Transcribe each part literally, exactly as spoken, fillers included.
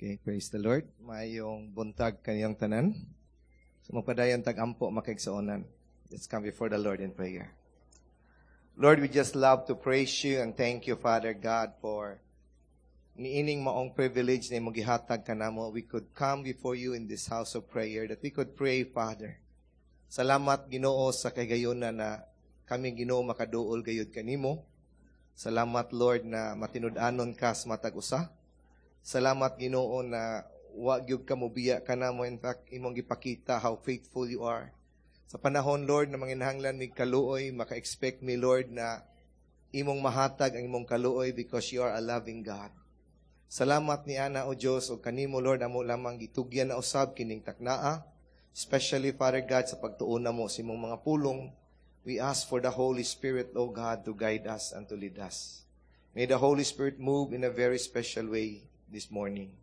Okay, praise the Lord. Maayong buntag kaninyong tanan. So magpadayon tag ampo makaigsuonan. Let's come before the Lord in prayer. Lord, we just love to praise you and thank you, Father God, for niining maong privilege na imong gihatag kanamo. We could come before you in this house of prayer, that we could pray, Father. Salamat, Ginoo, sa kahigayuna na kami, Ginoo, makaduol gayud kanimo. Salamat, Lord, na matinud-anon ka sa matag usa. Salamat Ginoo na wa gyud ka mobiya kanamo in fact imong gipakita how faithful you are. Sa panahon Lord na manginahanglan mig kaluoy, maka-expect mi Lord na imong mahatag ang imong kaluoy because you are a loving God. Salamat ni ana o Dios ug kanimo Lord amo lamang gitugyan na usab kining taknaa, especially Father God sa pagtuon namo sa imong mga pulong. We ask for the Holy Spirit, O God, to guide us and to lead us. May the Holy Spirit move in a very special way this morning.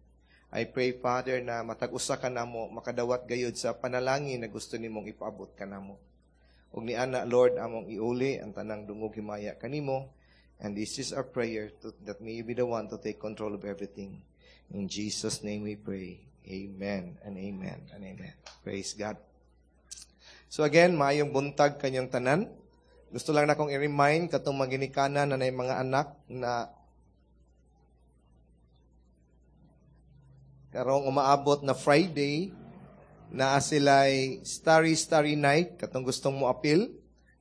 I pray, Father, na matag usa ka namo makadawat gayud sa panalangin na gusto nimong ipaabot kanamo. Ug ni ana Lord among iuli ang tanang dungog himaya kanimo. And this is our prayer to, that may you be the one to take control of everything. In Jesus' name we pray. Amen and amen and amen. Praise God. So again, maayong buntag kaninyong tanan. Gusto lang nakong i-remind katong mga ginikanan na nay mga anak na karong umaabot na Friday naa sila'y Starry Starry Night katong gustong mo apil.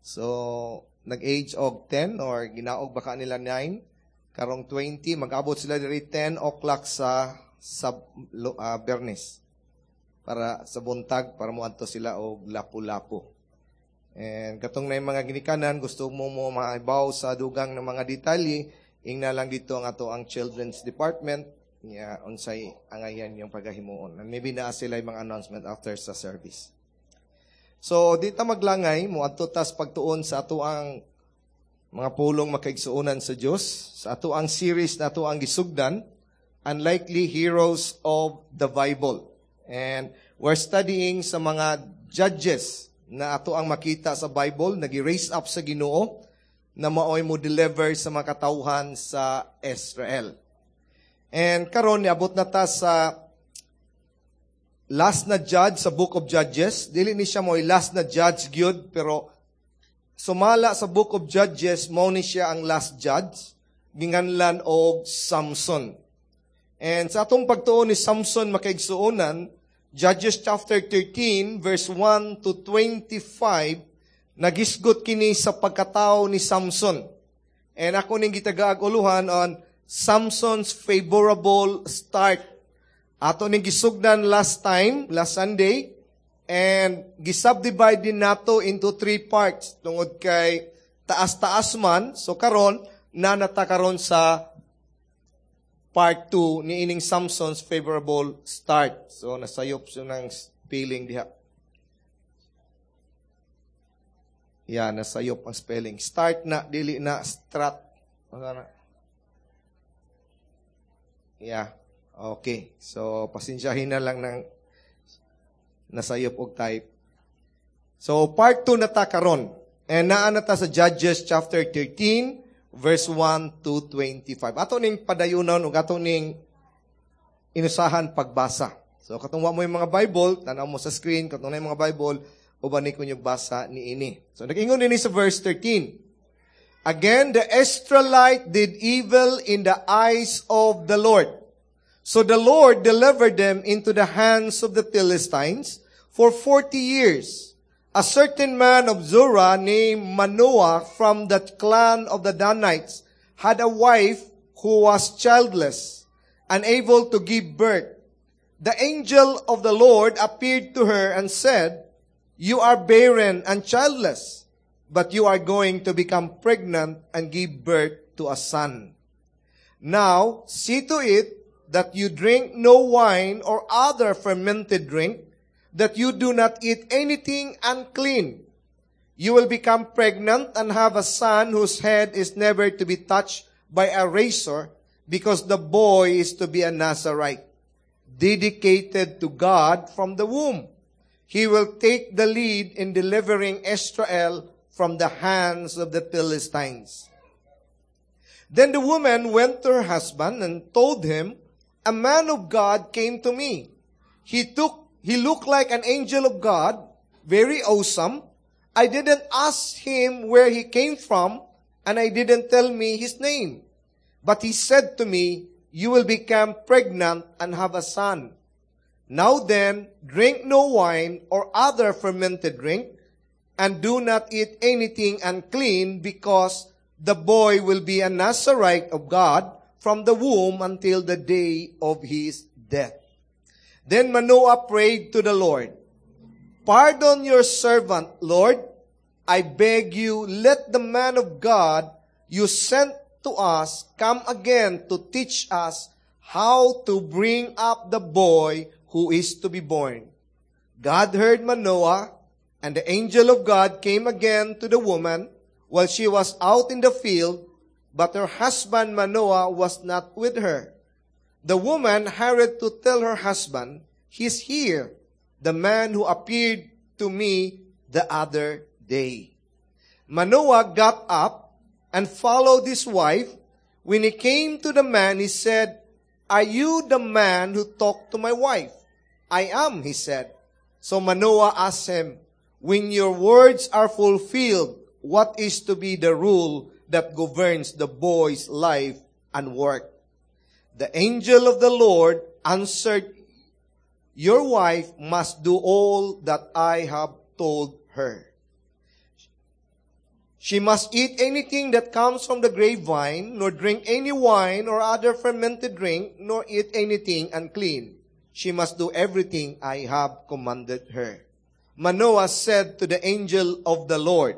So nag-age og ten or ginaog baka nila nine karong twenty mag-abot sila diri ten o'clock sa sa uh, Bernes para sa buntag para moadto sila og lapu-lapu. And katong na mga ginikanan gusto mo mo maibaw sa dugang ng mga detalye, ingna lang dito ang ato ang children's department niya unsay angayan yung pagahimuon. And maybe naa sila mga announcement after sa service. So di ta maglangay moadto tas pagtuon sa ato ang mga pulong makaigsuonan sa Dios sa ato ang series na ato ang gisugdan, Unlikely Heroes of the Bible. And we're studying sa mga judges na ato ang makita sa Bible, nagi-raise up sa Ginoo na maoy mo deliver sa mga katawhan sa Israel. And karon niabot na ta sa last na judge sa Book of Judges. Dili ni siya mo'y last na judge gyud, pero sumala sa Book of Judges mao ni siya ang last judge, ginganlan og Samson. And sa atong pagtuon ni Samson makaigsuonan, Judges chapter thirteen verse one to twenty-five, nagisgot kini sa pagkatao ni Samson. And ako ning gitagaag uluhan on Samson's favorable start. Ato ning gisugdan last time, last Sunday, and gisubdivide din nato into three parts tungod kay taas-taas man. So karon nanata karon sa part two ni ining Samson's favorable start. So nasayop siya ng spelling diha. Yeah, nasayop ang spelling. Start na, dili na, strat. Ano na? Yeah. Okay. So, pasensyahin na lang ng nasayop og type. So, part two na ta karon. And naa na ta sa Judges chapter thirteen, verse one to twenty-five. Ato ning padayunon ug ato ning inusahan pagbasa. So, katong wa mo yung mga Bible, tanaw mo sa screen, katong na yung mga Bible, uban ni kunyog basa ni ini. So, nag-ingon dinhi sa verse thirteen. Again, the Israelite did evil in the eyes of the Lord. So the Lord delivered them into the hands of the Philistines for forty years. A certain man of Zorah named Manoah from the clan of the Danites had a wife who was childless, unable to give birth. The angel of the Lord appeared to her and said, "You are barren and childless, but you are going to become pregnant and give birth to a son. Now, see to it that you drink no wine or other fermented drink, that you do not eat anything unclean. You will become pregnant and have a son whose head is never to be touched by a razor, because the boy is to be a Nazarite, dedicated to God from the womb. He will take the lead in delivering Israel from the hands of the Philistines." Then the woman went to her husband and told him A man of God came to me. He took, he looked like an angel of God, very awesome. I didn't ask him where he came from, and I didn't tell me his name. But he said to me, You will become pregnant and have a son. Now then, drink no wine or other fermented drink, and do not eat anything unclean, because the boy will be a Nazarite of God from the womb until the day of his death. Then Manoah prayed to the Lord, Pardon your servant, Lord. I beg you, let the man of God you sent to us come again to teach us how to bring up the boy who is to be born. God heard Manoah, and the angel of God came again to the woman while she was out in the field, but her husband Manoah was not with her. The woman hurried to tell her husband, He's here, the man who appeared to me the other day. Manoah got up and followed his wife. When he came to the man, he said, Are you the man who talked to my wife? I am, he said. So Manoah asked him, When your words are fulfilled, what is to be the rule that governs the boy's life and work? The angel of the Lord answered, Your wife must do all that I have told her. She must eat anything that comes from the grapevine, nor drink any wine or other fermented drink, nor eat anything unclean. She must do everything I have commanded her. Manoah said to the angel of the Lord,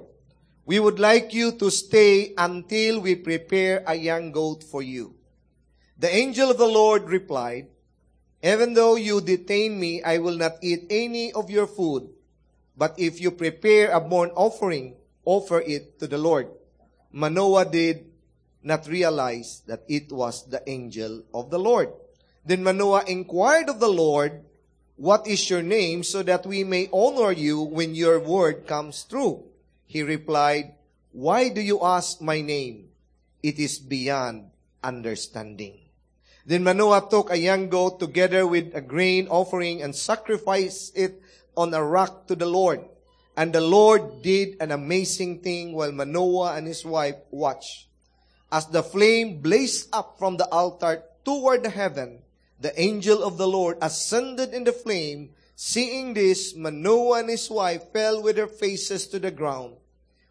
We would like you to stay until we prepare a young goat for you. The angel of the Lord replied, Even though you detain me, I will not eat any of your food. But if you prepare a burnt offering, offer it to the Lord. Manoah did not realize that it was the angel of the Lord. Then Manoah inquired of the Lord, What is your name, so that we may honor you when your word comes true? He replied, Why do you ask my name? It is beyond understanding. Then Manoah took a young goat together with a grain offering and sacrificed it on a rock to the Lord. And the Lord did an amazing thing while Manoah and his wife watched. As the flame blazed up from the altar toward the heaven, the angel of the Lord ascended in the flame. Seeing this, Manoah and his wife fell with their faces to the ground.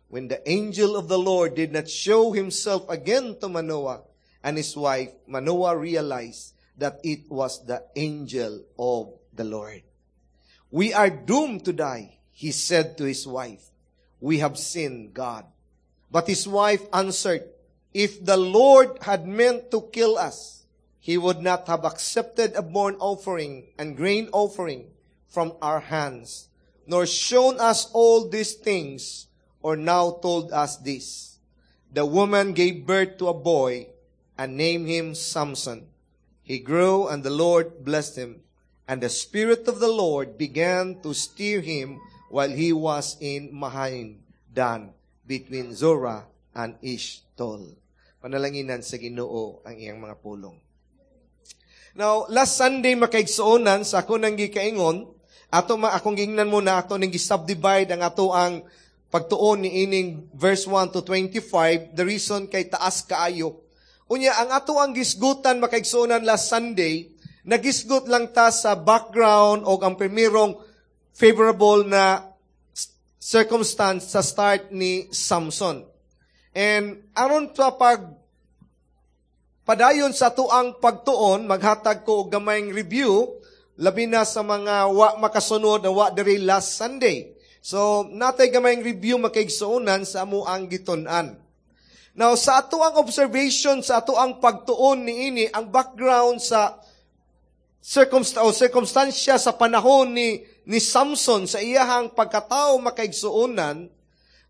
When the angel of the Lord did not show himself again to Manoah and his wife, Manoah realized that it was the angel of the Lord. We are doomed to die, he said to his wife. We have sinned God. But his wife answered, If the Lord had meant to kill us, he would not have accepted a burnt offering and grain offering from our hands, nor shown us all these things, or now told us this. The woman gave birth to a boy and named him Samson. He grew and the Lord blessed him. And the Spirit of the Lord began to stir him while he was in Mahaneh Dan, between Zorah and Eshtaol. Panalanginan sa Ginoo ang iyang mga pulong. Now, last Sunday makaigsuonan sa ako nang gikaingon, ato ma akong gingnan mo na ato ning gi-subdivide ang ato ang pagtuon ni ining verse one to twenty-five, the reason kay taas kaayo. Unya ang ato ang gisgutan makaigsuonan last Sunday, nagisgot lang ta sa background o ang primerong favorable na circumstance sa start ni Samson. And aron sa pag padayon sa tuang pagtuon, maghatag ko og gamayng review, labi na sa mga wa makasunod na wa diri last Sunday. So, natay gamayng review makaigsuonan sa amo ang gitun-an. Now, sa ato ang observation, sa ato ang pagtuon niini, ang background sa circumst- o circumstansya sa panahon ni, ni Samson sa iyahang pagkatao makaigsuonan,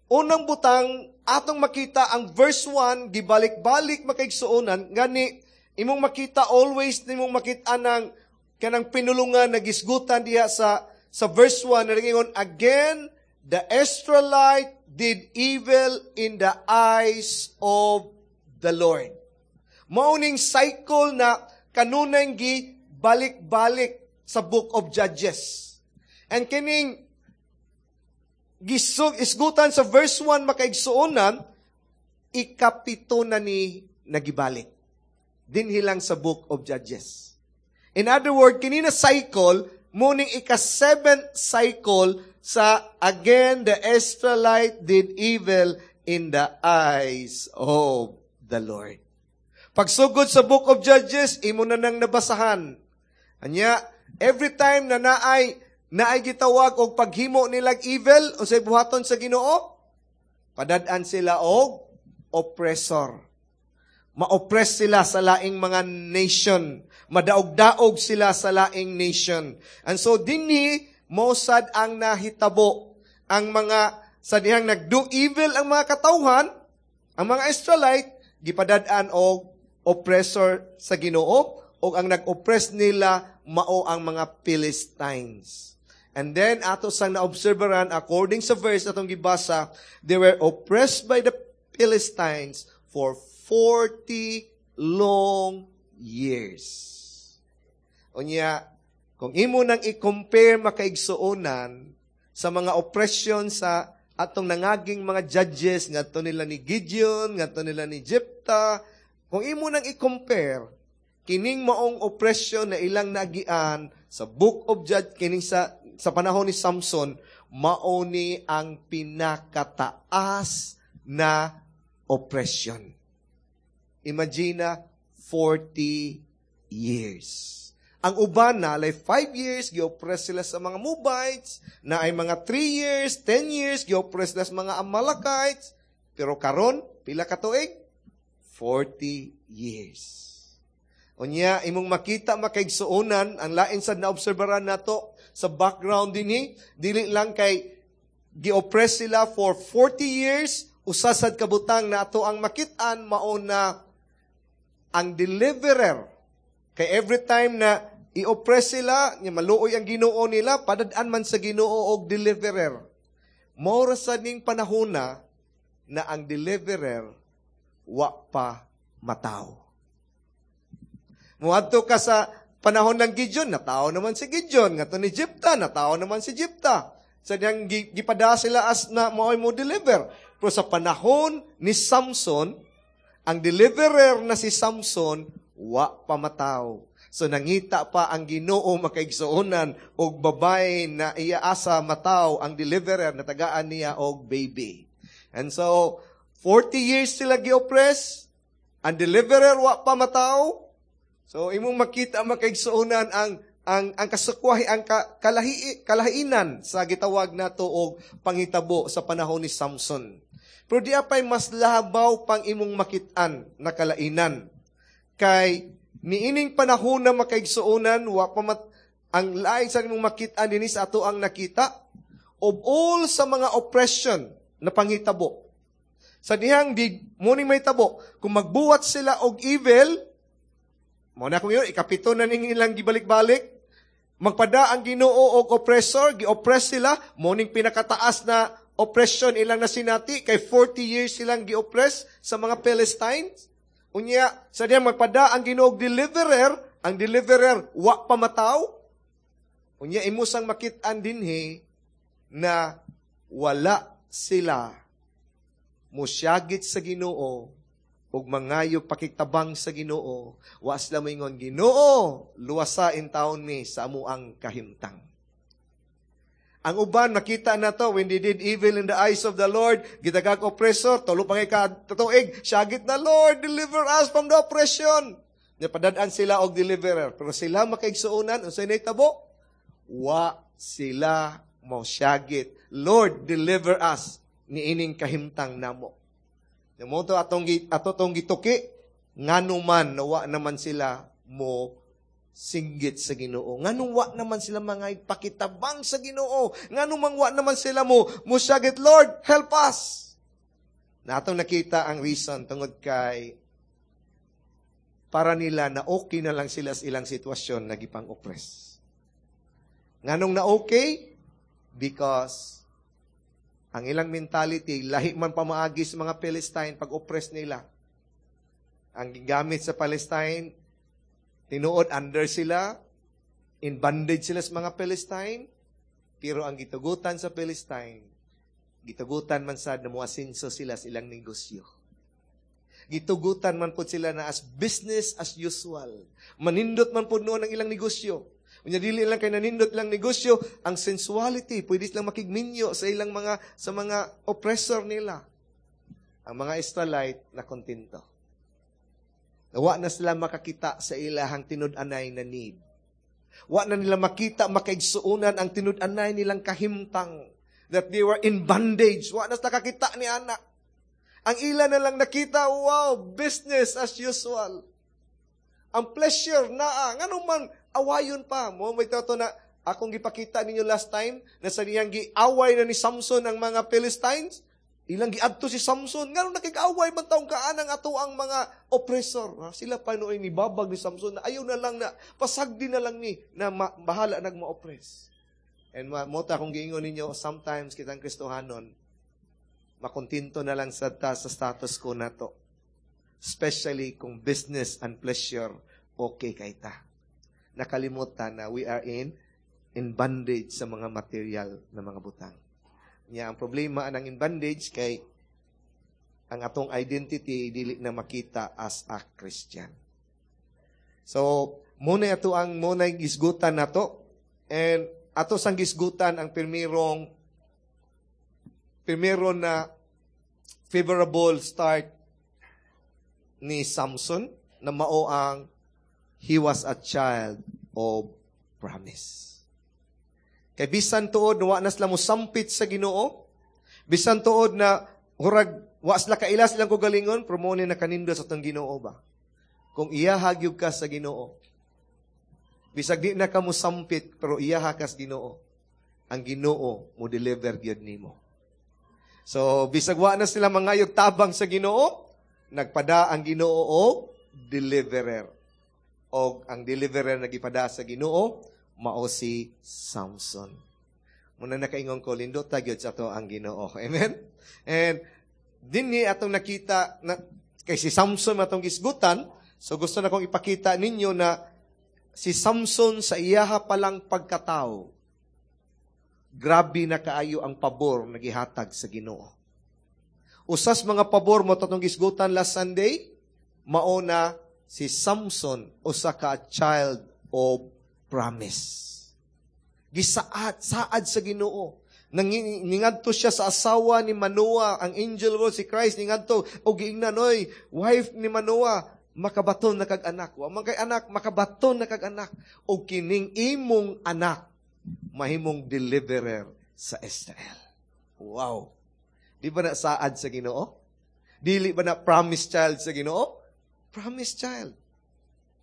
unang butang atong makita ang verse one, gibalik-balik makaigsuonan, gani imong makita always nimong makita ng kanang pinulungan na gisgutan diha sa sa verse one na nag-ingon, again the Israelite did evil in the eyes of the Lord. Mauning cycle na kanunay gi balik-balik sa Book of Judges. And kining gisug isgutan sa verse one, makaigsuonan, ikapito na ni nagibalik dinhi lang sa Book of Judges. In other words, kini na cycle, muning ika-seventh cycle sa again the Israelite did evil in the eyes of the Lord. Pagsugod sa Book of Judges, imo na nang nabasahan. Anya, every time na naay naay gitawag og paghimo nilag evil, unsay buhaton sa Ginoo? Padad-an sila og oppressor. Ma-oppress sila sa laing mga nation. Madaog-daog sila sa laing nation. And so dinhi mao sad ang nahitabo. Ang mga sa dihang nagdo evil ang mga katawhan, ang mga Israelite gipadad-an og oppressor sa Ginoo, og ang nag-oppress nila mao ang mga Philistines. And then ato sang naobserbaran, according sa verse atong gibasa, they were oppressed by the Philistines for forty long years. Unya, kung imo nang i-compare, makaigsuonan, sa mga oppression sa atong nangaging mga judges, ngadto nila ni Gideon, ngadto nila ni Jephthah, kung imo nang i-compare kining maong oppression na ilang nagian sa Book of Judges, kining sa sa panahon ni Samson, mao ni ang pinakataas na oppression. Imagine, forty years. Ang uban na, like five years, gi-oppress sila sa mga Moabites, na ay mga three years, ten years, gi-oppress sila sa mga Amalekites. Pero karon, pila ka tuig? forty years. Unya, imong makita, makaigsuonan, ang lain sad naobserbaran nato sa background dinhi, dili lang kay gi-oppress sila for forty years, usa sad ka butang na ato ang makit-an mao na ang deliverer. Kay every time na i-oppress sila, nya maluoy ang Ginoo nila, padad-an man sa Ginoo og deliverer. Mao ra sad ning panahona na ang deliverer wa pa mataw. Muadto ka sa panahon ng Gideon, natao naman si Gideon. Ngadto ni Jephthah, natao naman si Jephthah. Sa diyang gipada sila as na mao'y mo deliver. Pero sa panahon ni Samson, ang deliverer na si Samson, wa pa mataw. So nangita pa ang Ginoo, makaigsuonan, og babae na iaasa mataw ang deliverer, natagaan niya og baby. And so, forty years sila gi-oppress, ang deliverer wa pa mataw. So imong makita, makaigsuonan, ang ang ang kasukwahi, ang ka, kalahi, kalahinan sa gitawag nato og panghitabo sa panahon ni Samson. Pero di apay mas labaw pang imong makit-an na kalainan. Kay niining panahon na, makaigsuonan, wa pa mat, ang lain sa imong makit-an dinhi sa ato ang nakita of all sa mga oppression na panghitabo. Sa dihang di mo ni may tabo, kung magbuhat sila og evil, mo na kung yun, ikapito na ning ilang gibalik-balik, magpada ang Ginoo og oppressor, gi-oppress sila, mo ning pinakataas na oppression ilang nasinati, kay forty years silang gi-oppress sa mga Philistines. Unya, sa dihang magpada ang Ginoo og deliverer, ang deliverer wa pa mataw. Unya, imo sang makit-an dinhi na wala sila musyagit sa Ginoo ug mangayo pakitabang sa Ginoo. Wa sila moingon, "Ginoo, luwasa intawon mi sa amuang kahimtang." Ang uban, makita na to, when they did evil in the eyes of the Lord, gitagag oppressor, tulo pa ngay ka tuig, syagit na, "Lord, deliver us from the oppression." Napadad-an sila og deliverer. Pero sila, makaigsuonan, unsay nahitabo? Wa sila mosyagit, "Lord, deliver us niining kahimtang namo." Mao to atong ato tong gituki, ngano man nawa naman sila mo singgit sa Ginoo? Nganong wa naman sila mga pakitabang sa Ginoo? Ngano mang wa naman sila mo musyagit, "Lord, help us"? Natong nakita ang reason, tungod kay para nila na okay na lang sila sa ilang sitwasyon na gipang-oppress. Nganong na okay? Because ang ilang mentality, lahi man pamaagi sa mga Philistine pag-oppress nila. Ang gigamit sa Palestine, Tinuod under sila, in bondage sila sa mga Philistine, pero ang gitugutan sa Philistine, gitugutan man sad na muasinso sila sa ilang negosyo. Gitugutan man po sila na as business as usual. Manindot man po noon ang ilang negosyo. Unya dili lang kay nanindot lang negosyo, ang sensuality, pwede silang makigminyo sa ilang mga sa mga oppressor nila. Ang mga Israelite na kontento. Wa na sila makakita sa ilahang tinud-anay na need. Wa na nila makita makaigsuonan ang tinud-anay nilang kahimtang that they were in bondage. Wa na sila kakita ni ana. Ang ila na lang nakita, wow, business as usual. Ang pleasure naa, ngano man awayon pa. Mo may tato na akong gipakita ninyo last time na sa niyang giaway na ni Samson ang mga Philistines. Ilang giadto si Samson. Ngano nakig-away man taong kaanang ato ang mga oppressor. Ha? Sila pa nooy nibabag ni Samson na ayaw na lang na pasagdi na lang ni na ma- bahala nagma-oppress. And ma- mo ta akong giingon ninyo, sometimes kitang Kristohanon, makontento na lang sa ta sa status quo nato. Especially kung business and pleasure okay kay ta. Nakalimutan na we are in in bondage sa mga material na mga butang. Nya ang problema anang in bondage kay ang atong identity dili na makita as a Christian. So, muna ato ang muna gisgutan nato and ato sang gisgutan ang pirmirong primero na favorable start ni Samson na mao ang he was a child of promise. Kay bisan tuod wa na sila mosampit sa Ginoo, bisan tuod na hurag wa sila kaila silang kaugalingon, pero mo ni nakanindot sa atong Ginoo ba? Kung iyaha gyud ka sa Ginoo, bisag di na ka mosampit pero iyaha ka sa Ginoo, ang Ginoo mo deliver gyud nimo. So bisag wa na sila mangayog tabang sa Ginoo, nagpada ang Ginoo og deliverer. Og ang deliverer nagipada sa Ginoo mao si Samson. Muna nakaingon ko, lindot ta gyud sa ato ang Ginoo. Amen? And dinhi atong nakita na kay si Samson atong gisgutan, so gusto na kong ipakita ninyo na si Samson sa iyaha palang pagkatao, grabe na kaayo ang pabor na gihatag sa Ginoo. Usas mga pabor mo atong gisgutan last Sunday, mao na si Samson usa ka child of promise. Gisaad, saad sa Ginoo. Nang ningadto siya sa asawa ni Manoah, ang angel ko si Christ ningadto og giingnan oy, wife ni Manoah, makabaton na kag anak. Wa man kay anak, makabaton na kag anak. Og kining imong anak mahimong deliverer sa Israel. Wow. Di ba na saad sa Ginoo? Dili ba na promise child sa Ginoo? Promise child.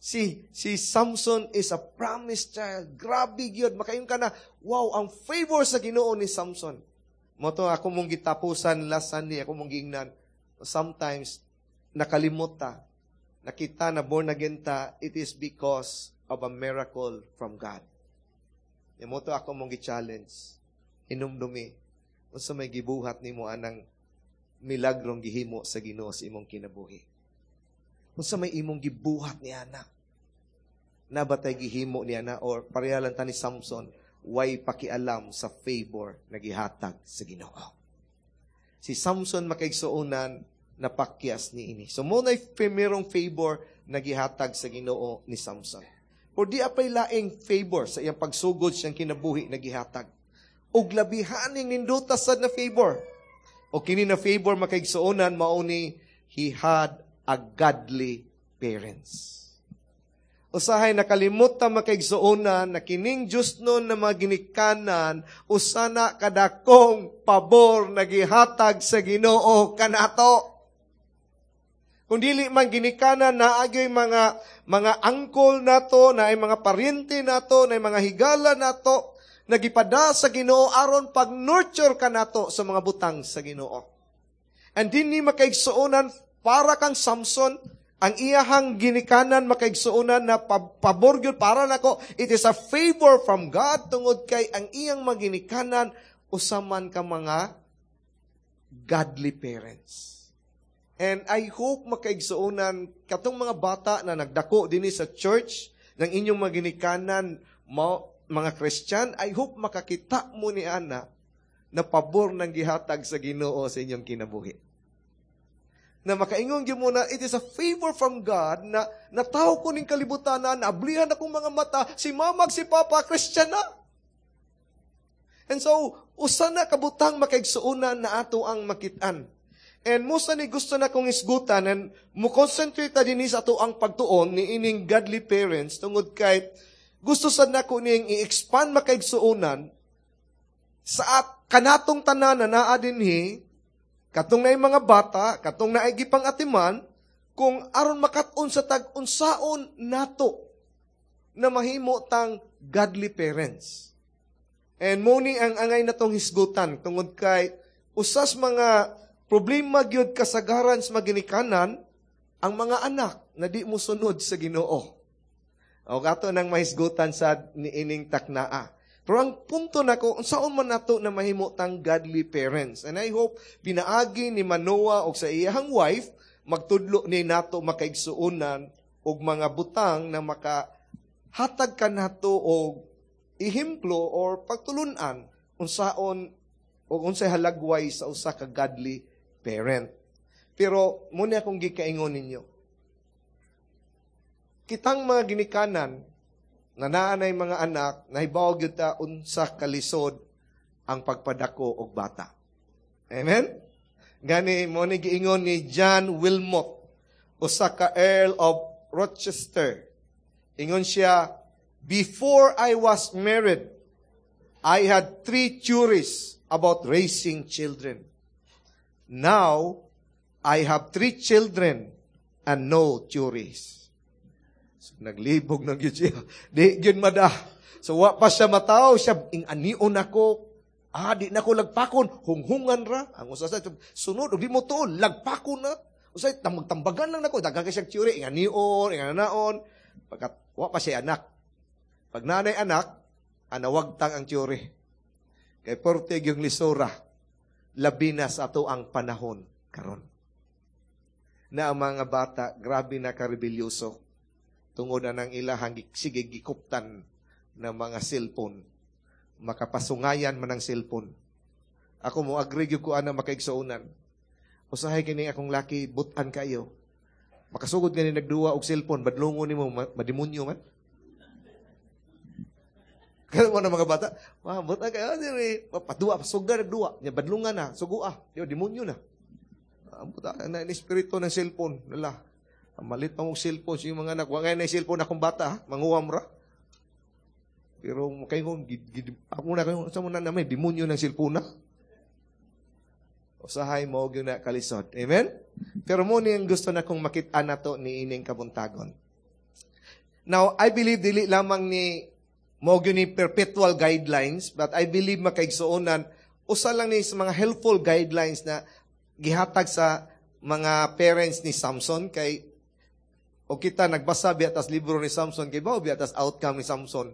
Si si Samson is a promised child. Grabe gyud makaingon ka na, wow, ang favor sa Ginoo ni Samson. Mo to ako mong gitapusan last Sunday, ako mong giingnan. Sometimes nakalimot ta. Nakita na born again ta, it is because of a miracle from God. Mo to ako mong gi-challenge. Hinumdumi. Unsa may gibuhat nimo anang milagrong gihimo sa Ginoo sa imong kinabuhi. Unsa may imong gibuhat ni ana? Nabatay gihimo niya na or pareha lang ta ni Samson, way pakialam sa favor na gihatag sa Ginoo. Si Samson makaigsuonan napakyas ni ini. So mo na primerong favor na gihatag sa Ginoo ni Samson. Por di apay laing favor sa iyang pagsugod siyang kinabuhi na gihatag. Og labihaning nindota sad na favor. O kini na favor makaigsuonan mao ni he had a godly parents. Usahay nakalimot ta makaigsuonan na kining Diyos nun na mga ginikanan usana kadakong pabor na gihatag sa Ginoo kanato. Kung dili man ginikanan na agyoy mga mga angkol nato, na ay mga paryente nato, na ay mga higala nato, nagipada sa Ginoo aron pag-nurture kanato sa mga butang sa Ginoo. And dinhi makaigsuonan para kang Samson, ang iyahang ginikanan makaigsuonan na pabor gyud para nako, it is a favor from God tungod kay ang iyang maginikanan usaman ka mga godly parents. And I hope makaigsuonan katong mga bata na nagdako dinhi sa church, ng inyong mga ginikanan, mga Christian, I hope makakita mo ni ana na pabor ng gihatag sa Ginoo sa inyong kinabuhi. Na makaingon gyud mo na it is a favor from God na natawo ko ning kalibutan na naablihan akong mga mata, si mama si papa Christian na. And so, usa na kabutang makaigsuonan na ato ang makitaan. And mao sa ni gusto na kong isgutan and mo concentrate ta dinhi sa ato ang pagtuon ni ining godly parents tungod kay gusto sad nako ning i-expand makaigsuonan sa at kanatong tanan na naa dinhi katong naay mga bata katong naay gipang-atiman kung aron makat-on sa tag unsaon nato na mahimo tang godly parents. And mo ni ang angay natong hisgutan tungod kay usas mga problema gyud kasagaran sa maginikanan ang mga anak na di mo sunod sa Ginoo. O ato nang mahisgutan sa niining taknaa. Pero ang punto nako, unsaon man nato na mahimo tang godly parents. And I hope pinaagi ni Manoah og sa iyang wife magtudlo ni nato makaigsuonan og mga butang na makahatag kanato og ehemplo or pagtulunan unsaon o unsay halagway sa usa ka godly parent. Pero mao ni akong gikaingon ninyo. Kitang mga ginikanan na naanay mga anak, nahibaw gyud ta unsa kalisod ang pagpadako og bata. Amen? Gani mo ni giingon ni John Wilmot, usa ka Earl of Rochester. Ingon siya, before I was married, I had three theories about raising children. Now, I have three children and no theories. So, naglibog na gyud siya. Di gyud mada. So, wa pa siya mataw. Siya, ing-anion ako. Ah, di na ko lagpakon. Hunghungan ra. Ang usa sa sunod, og di mo tuon, lagpakon na. Usay, tambagan lang nako. Daghan kay siya theory. Ing-anion, ing-anaon. Pagkat, wa pa siya anak. Pag nanay anak, anawagtang ang theory. Kay porte yung lisora, labi na sa ato ang panahon karon. Na ang mga bata, grabe na karebelyoso. Tungod na ng ilahang sige gikuptan ng mga cellphone. Makapasungayan man ang cellphone. Ako mo agree gyud ko ana makaigsuonan. Usahay kini akong laki butan kayo. Makasugod gani nagduwa og cellphone, badlongon nimo mademonyo man. Kaya mo na mga bata, wah, butan kayo, diri, paduwa, pasuga nagduwa, nya badlungan na, sugua, di demonyo na. Ang buta na ni espiritu ng cellphone, nala. Malit pa mong cellphone sa mga anak. Wa ngay na cellphone akong bata, ha? Manguwam ra. Pero kayo ako na kayo, sa mo na namin, demonyo ng cellphone na. Usahay mo gyud na kalisod. Amen? Pero mo ni ang gusto na kong makita na to ni ining kabuntagon. Now, I believe dili lamang ni mo gyud ni perpetual guidelines, but I believe makaigsuonan usa lang ni sa mga helpful guidelines na gihatag sa mga parents ni Samson kay o kita nagbasa biya tas libro ni Samson kay bao biya tas outcome ni Samson.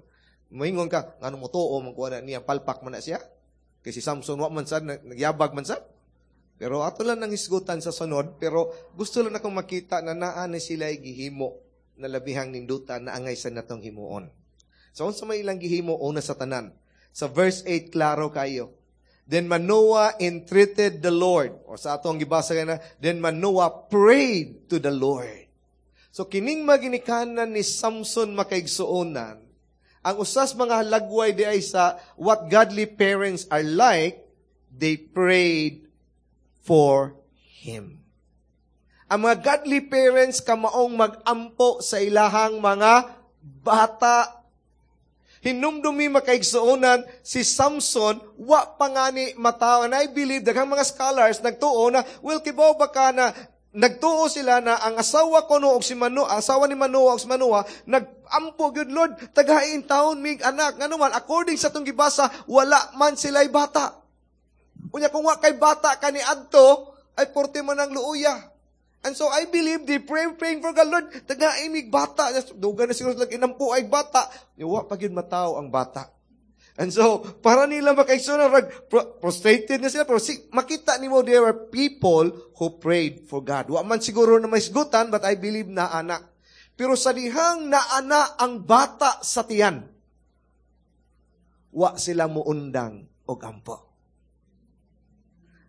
Moingon ka ngano mo tuo man kuha na niya palpak man na siya. Kay si Samson wa man sad nagyabag man sad. Pero ato lang nang hisgutan sa sunod pero gusto lang akong makita na naa ni sila gihimo na labihang nindutan na angay sa natong himuon. So unsa may ilang gihimo una sa tanan. Sa verse eight klaro kayo. Then Manoah entreated the Lord. O sa atong gibasa na, then Manoah prayed to the Lord. So kining maginikanan ni Samson makaigsuonan, ang usas mga halagway di ay sa what godly parents are like, they prayed for him. Ang mga godly parents kamaong magampo sa ilahang mga bata. Hinumdumi makaigsuonan si Samson, wa pa nga ni mataw. And I believe, daghang mga scholars nagtuo na, well, kibaw ba ka na, nagtuo sila na ang asawa ko no, og si Mano, asawa ni Manoah og si Manoah, nagampo gyud Lord, tagahain taon mig anak. Ngano man, according sa atong gibasa, wala man sila'y bata. Unya kung wa kay bata kani adto, ay porte man ang luoya. And so I believe they pray, praying for God, Lord, tagahain mig bata. Duga na siguro sila inampo ay bata. Wa pa gyud mataw ang bata. And so, para nila makaigsoon, prostrated na sila. Pero si, makita nimo there were people who prayed for God. Wa man siguro na maisgutan, but I believe na anak. Pero sa dihang naana ang bata sa tiyan, wa sila muundang og ampo.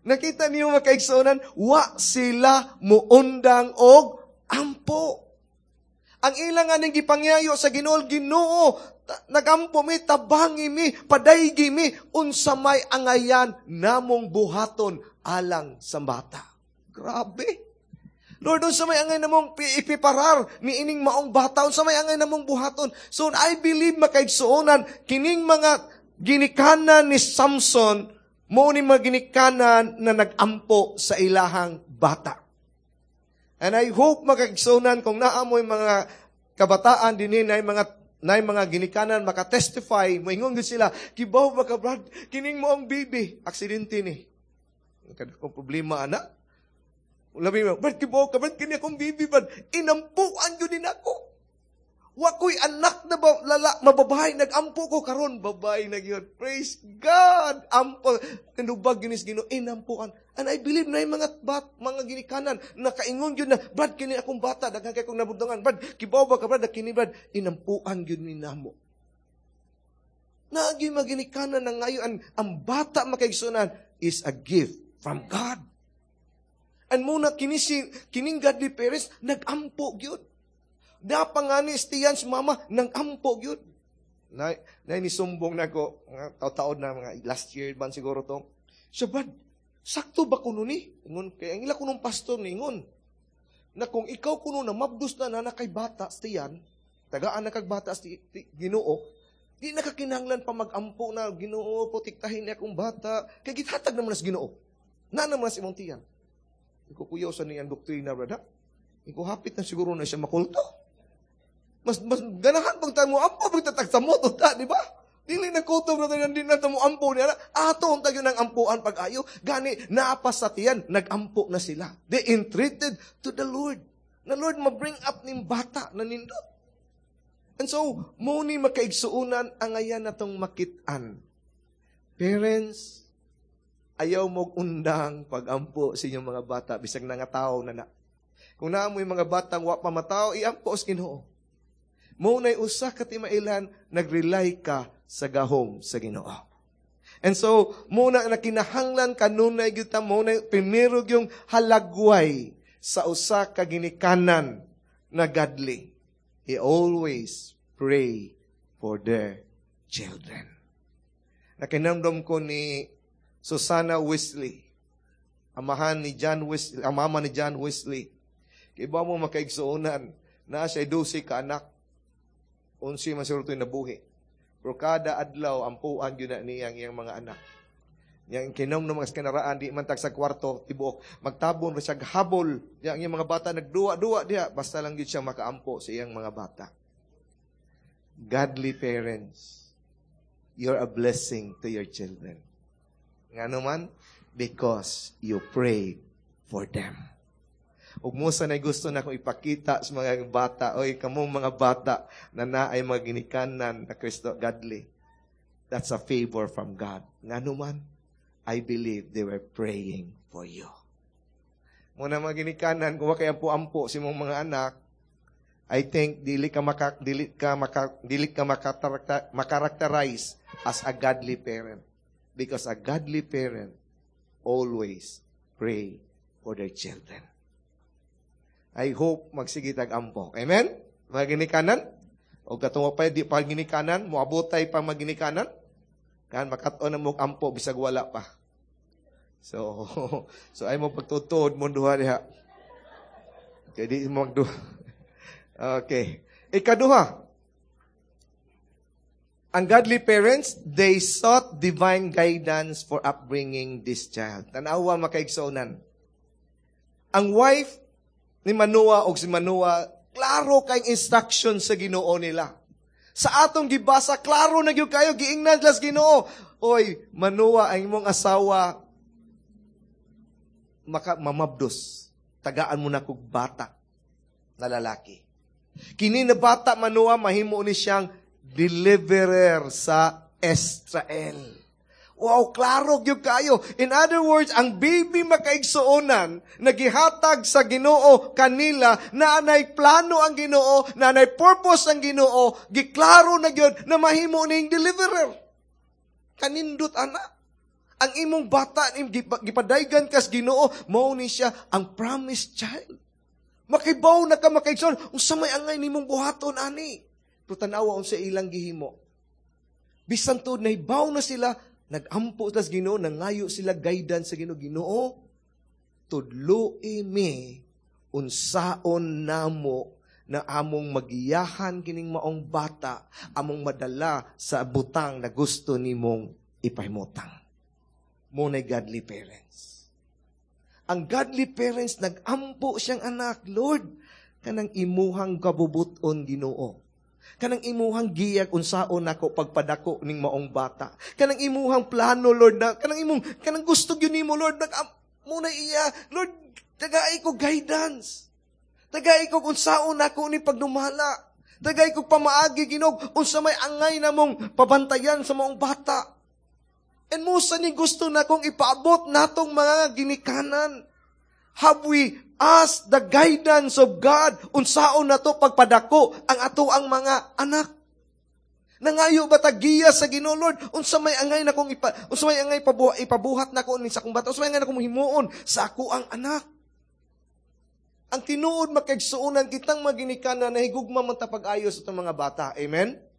Nakita niyo mga kaigsuonan, wa sila muundang og ampo. Ang ilang aning gipangyayo sa Ginoo, Ginoo, nagampo mi, tabangi mi, padaygi mi, unsa may angayan namong buhaton alang sa bata. Grabe. Lord, unsa may angay namong ipiparar ni ining maong bata, unsa may angay namong buhaton. So I believe makaigsuonan kining mga ginikanan ni Samson, mao ni mga ginikanan na nagampo sa ilahang bata. And I hope makaigsuonan kung naamoy mga kabataan dinhi na mga na mga ginikanan maka-testify, moingon gyud sila, kibaw ba ka Brad, kining maong baby, aksidente ni. Kadakong problema ana. Labi mo, Brad, kibaw ka, Brad, kini akong baby, Brad, inampuan gyud din ako. Wa ko'y anak na ba, lala, mababae, nagampo ko karon babae na gyud. Praise God! Ampo, kinubag gyud ni Ginoo, inampuan. And I believe na yung mga bat, mga ginikanan, nakaingon gyud na, Brad, kini akong bata, daghan kay kong nabudungan. Brad, kibaw ba ka, Brad, kini Brad, inampuan gyud ni namo. Naagi mga ginikanan na ngayon, ang, ang bata makaigsunan is a gift from God. And muna, kini si, kining godly parents, nagampo gyud. Napangani tiyan si mama, nagampo gyud. Na, na nisumbong na ko, mga taon na, mga last year man siguro to. Siya, Brad, sakto ba kuno ni? Ingon, kay ang ila kunong pastor ni ingon, na kung ikaw kuno na mabdus na na kay bata tiyan, tagaan na kag bata ti, ti, Ginoo, di na kakinahanglan pa magampo na Ginoo, protektahin niya akong bata, kay githatag naman sa Ginoo. Na naman sa imong tiyan. Iko kuyaw sa niyang doktrina, brad, ha? Iko hapit na siguro na siya makulto. Mas, mas ganahan pag tayo mo ampo, pag tatag sa moto, ta, di ba? Dili na kulto, brother, di na mo ampo niya. Ato ang tayo ng ampuan pag-ayo. Gani, naapa sa tiyan, nagampo na sila. They entreated to the Lord. Na Lord, ma-bring up ning bata na nindot. And so, mo ni makaigsuunan ang ayan na tong makitaan. Parents, ayaw mo undang pag-ampo sa inyong mga bata, bisag nga tao na na. Kung naa mo yung mga batang wa pa matao, iampo sa Ginoo. Mo na'y usa ka timailan, nag-rely ka sa gahom sa Ginoo. And so, muna na kinahanglan kanunay gyud ta mo na primero yung halagway sa usa ka ginikanan na godly. He always pray for their children. Nakinamdom ko ni Susana Wesley, amahan ni John Wesley, ang mama ni John Wesley. Kay ba mo makaigsuonan na siya dose ka anak. Unsi man siguro ito'y nabuhi. Pero kada adlaw, ampuan yun na niya ang iyang mga anak. Yang kinom ng mga kanaraan, di man tag sa kwarto, tibuok. Magtabon ra siya habol. Yang iyang mga bata nagduwa-duwa diha. Basta lang gyud siya makaampo sa iyang mga bata. Godly parents, you're a blessing to your children. Ngano man? Because you pray for them. Ug mo sa gusto na akong ipakita sa mga bata, oy kamong mga bata na naay mga ginikanan na Kristo godly. That's a favor from God. Ngano man? I believe they were praying for you. Muna mga ginikanan, kung wa kay ampo-ampo sa imong mga anak, I think dili ka maka dili ka maka dili ka makarakterize as a godly parent because a godly parent always pray for their children. I hope magsige tag ampo. Amen? Mga ginikanan? O katong pa di pa ginikanan, moabotay pa maginikanan? Kan makat-on na mo ampo bisag wala pa. So, so ay mo pagtutuod mo duha diha. Kay di mo magduha. Okay. Ikaduha. Ang godly parents, they sought divine guidance for upbringing this child. Tanawa makaigsuonan. Ang wife ni Manoah o si Manoah, klaro kay instruction sa Ginoo nila. Sa atong gibasa, klaro na gyud kayo giingnan sa Ginoo. Oy, Manoah ang imong asawa maka mamabdos. Tagaan mo na kog bata na lalaki. Kini na bata Manoah mahimo ni siyang deliverer sa Israel. Wow, klaro gyud kayo. In other words, ang baby, makaigsuonan, nagihatag sa Ginoo kanila na anay plano ang Ginoo, na anay purpose ang Ginoo, giklaro na gyud na mahimo ning deliverer. Kanindot ana. Ang imong bata gipadaygan kas Ginoo, mao ni siya ang promised child. Makibaw na ka, makaigsoon, unsa may angay nimong buhaton ani? Pero tan-awa unsa ilang gihimo. Bisan tuod nahibaw na sila, nagampo sila sa Ginoo, nangayo sila guidance sa Ginoo. "Ginoo, tudloi mi unsaon namo na among magiyahan kining maong bata, among madala sa butang na gusto nimong ipahimutang." Mao na godly parents. Ang godly parents, nagampo siyang anak, "Lord, kanang imuhang kabubuton, Ginoo. Kanang imuhang giyag unsaon nako pagpadako ning maong bata. Kanang imuhang plano, Lord, na kanang imong kanang gusto gyud nimo, Lord, nag muna iya, Lord, tagai ko guidance. Tagai ko unsaon nako ni pagdumala. Tagai ko pamaagi, Ginoo, unsa may angay namong pabantayan sa maong bata." And mao sa ni gusto na kong ipaabot natong mga ginikanan. Have we asked the guidance of God unsaon nato pagpadako ang ato ang mga anak? Nangayo ba ta giya sa Ginoo, "Lord, unsa may angay na kong ipa, unsa may angay pabuhat, ipabuhat nako ni sa akong bata, unsa may angay na kong himuon sa ako ang anak?" Ang tinuod, makaigsuonan, kitang maginikanan nahigugma man ta pag-ayo sa atong mga bata. Amen?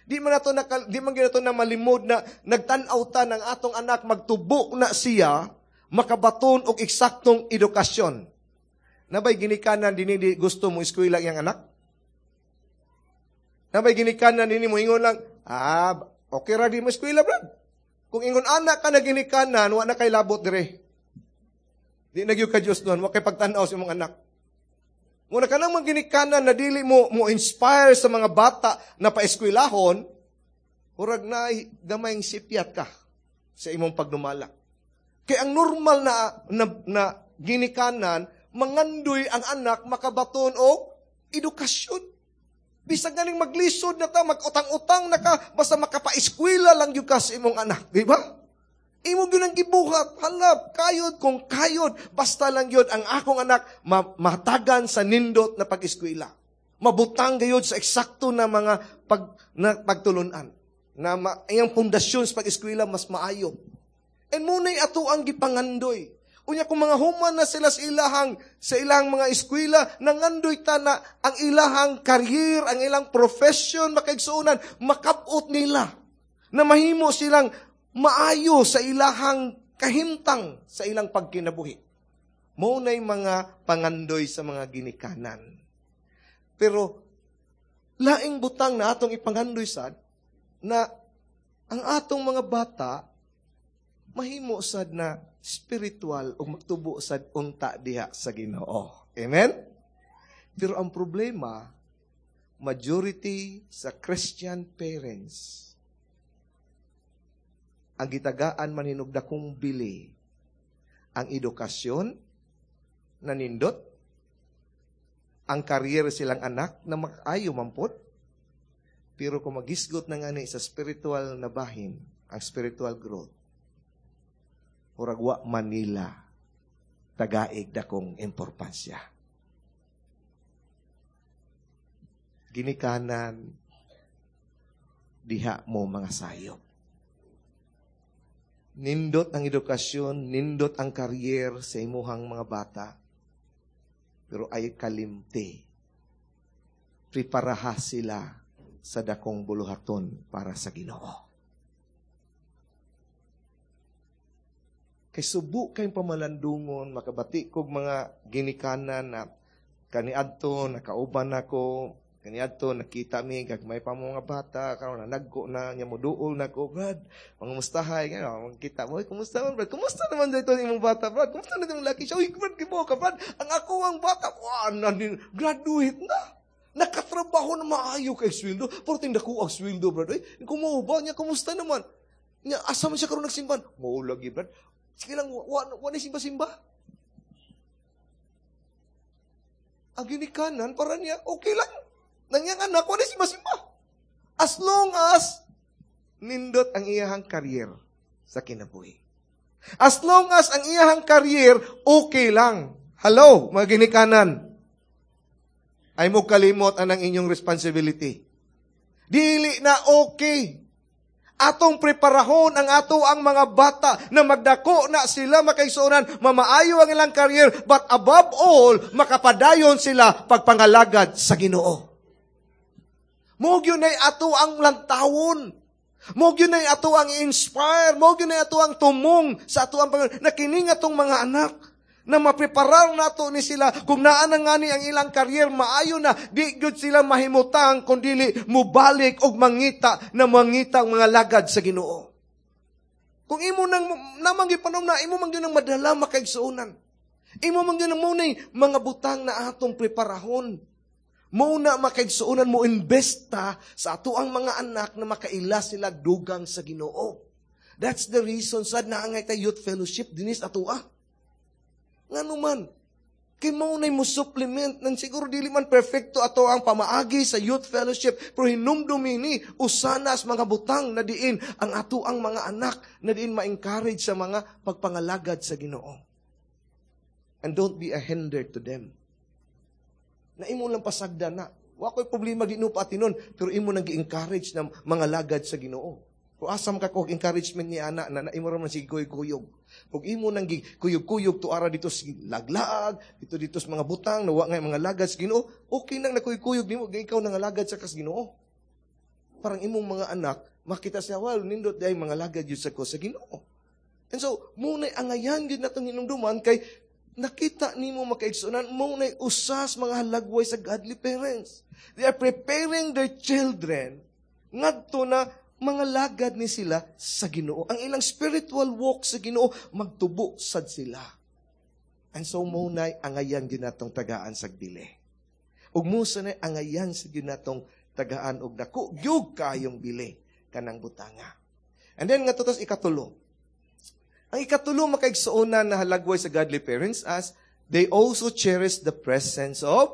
Di man nato nakal, di man ginato na malimod na nagtan-aw ta ng atong anak magtubo na siya makabaton og eksaktong edukasyon. Nabay ginikanan dinhi di gusto mo eskwela iyang anak? Nabay ginikanan dinhi mo ingon lang, "Ah, okay ra di mo eskwela, brad"? Kung ingon anak ka na ginikanan, wa na kay labot dire. Di na gyud ka Diyos nun, wa kay pagtan-aw sa imong anak. Muna ka nang ginikanan na dili mo mo inspire sa mga bata na paeskwelahon, murag na gamayng sipyat ka sa imong pagdumala. Kay ang normal na, na, na ginikanan, mangandoy ang anak makabaton og edukasyon. Bisag ganing maglisod na ta, mag-utang-utang na ka, basta makapaeskwela lang gyud ka sa imong anak, di ba? Imo gyud ang gibuhat, halap, kayod kung kayod, basta lang gyud ang akong anak ma- matagan sa nindot na pag-eskwela. Mabutang gayud sa eksakto na mga pag, na pagtulunan. Na ma, iyang pundasyon sa pag-eskwela mas maayo. And muna'y ato ang gipangandoy. Unya kung mga human na sila sa ilahang, sa ilang mga eskwela, nangandoy ta na ang ilahang career, ang ilang profession, makaigsuonan, makabot nila. Na mahimo silang maayo sa ilahang kahimtang sa ilang pagkinabuhi. Mao na'y mga pangandoy sa mga ginikanan. Pero laing butang na atong ipangandoy sad na ang atong mga bata mahimo sad na spiritual o magtubo sad unta diha sa Ginoo. Amen? Pero ang problema, majority sa Christian parents, ang gitagaan man hinog dakong bili, ang edukasyon na nindot, ang career silang anak na makaayo mampot, pero kung magisgot na ngani sa spiritual na bahin, ang spiritual growth, murag wa Manila tagaig dakong importansya. Ginikanan, diha mo mga sayop. Nindot ang edukasyon, nindot ang career sa imuhang mga bata, pero ay kalimti. Preparaha sila sa dakong buluhaton para sa Ginoo. Kay subo kayong pamalandungon, makabati kog mga ginikanan na kaniadto, nakauban nako, kaniadto, nakita mi, gagmay pa mo mga bata, karon na nagko na, nya moduol na ko, "Brad, mga mustahay," gano'n, magkita mo, "Uy, kumusta man, Brad? Kumusta naman dito imong bata, Brad? Kumusta na imong laki siya? Uy, Brad, gibo ka, Brad, ang ako ang bata, wah, na, graduate na. Nakatrabaho na maayo kay sweldo, pero tinda ko ang sweldo, Brad. Uy, kumuha niya, kumusta naman? Nya, asa man siya karon nagsimban? Mao lagi, Brad. Sige lang, wa, wa, wa na simba-simba." Ang ginikanan, para niya, okay lang. Nangyang anak, wa na simba-simba. As long as nindot ang iyahang career sa kinabuhi. As long as ang iyahang career, okay lang. Hello, mga ginikanan. Ay mo kalimot anang inyong responsibility. Dili na okay. Atong preparahon ang ato ang mga bata na magdako na sila, makaigsuonan, mamaayo ang ilang career, but above all, makapadayon sila pagpangalagad sa Ginoo. Mao gyud nay ato ang lantawon. Mao gyud nay ato ang inspire, mao gyud nay ato ang tumong sa ato ang Panginoon na kini nga atong mga anak na mapreparar nato ni sila kung naa na ngani ang ilang career, maayo na, di gyud sila mahimutang kung dili mubalik og mangita na mangita ang mga lagad sa Ginoo. Kung imo nang namang gipanom na imo man gyud nang madala, makaigsuonan. Imo man gyud nang mao mga butang na atong preparahon. Mao na, makaigsuonan, mo investa sa ato ang mga anak na makaila sila dugang sa Ginoo. That's the reason sad naa ngay ta youth fellowship dinis ato ah. Ngano man? Kay mao nay mo supplement nang siguro dili man perfecto ato ang pamaagi sa youth fellowship, pero hinumdumi ni usanas mga butang na diin ang ato ang mga anak na diin ma-encourage sa mga pagpangalagad sa Ginoo. And don't be a hinder to them. Na imo lang pasagdan na. Wa ko'y problema di no paatinon, pero imo nang gi-encourage na mga lagad sa Ginoo. Kung asam ka ko encouragement ni ana na, na imo ra man sige kuyog. Kung imo nang kuyog-kuyog tuara dito sa laglaag, dito dito sa mga butang na wa nga mga lagad sa Ginoo, okay nang nakuyog-kuyog nimo, ikaw nang lagad sa kas Ginoo. Parang imong mga anak makita siya, well, nindot diay mga lagad yun sa ko sa Ginoo. And so, mao na'y angayan gyud natong hinumduman kay nakita nimo, makaigsuonan, mao na'y usas mga halagway sa godly parents. They are preparing their children ngadto na mga lagad ni sila sa Ginoo. Ang ilang spiritual walk sa Ginoo, magtubo sad sila. And so mao na'y angayan gyud natong tagaan sa bili. Ug mao sa na'y angayan sa gyud natong tagaan og dako gyud kayong bili kanang butanga. And then nga tutos ikatulo. Ang ikatulo, makaigsuonan, na halagway sa godly parents as they also cherish the presence of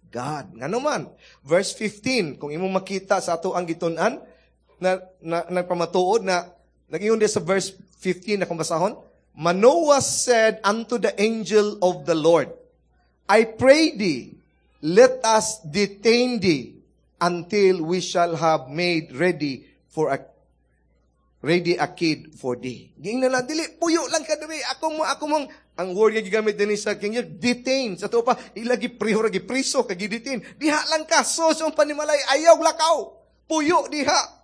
God. Ngano man? Verse fifteen, kung imong makita sa ato ang gitun-an, na, na nagpamatuod na nag-ingon sa verse fifteen na kung basahon, "Manoah said unto the angel of the Lord, 'I pray thee, let us detain thee until we shall have made ready for a ready a kid for thee.'" Giingnan lang, "Dili, puyo lang ka diri. Ako mo, ako mong," ang word nga gigamit din sa King James, detain. Sa to pa, ilagi priho ra gipriso, kay gidetain. "Diha lang ka, so sa panimalay, ayaw lakaw. Puyo diha."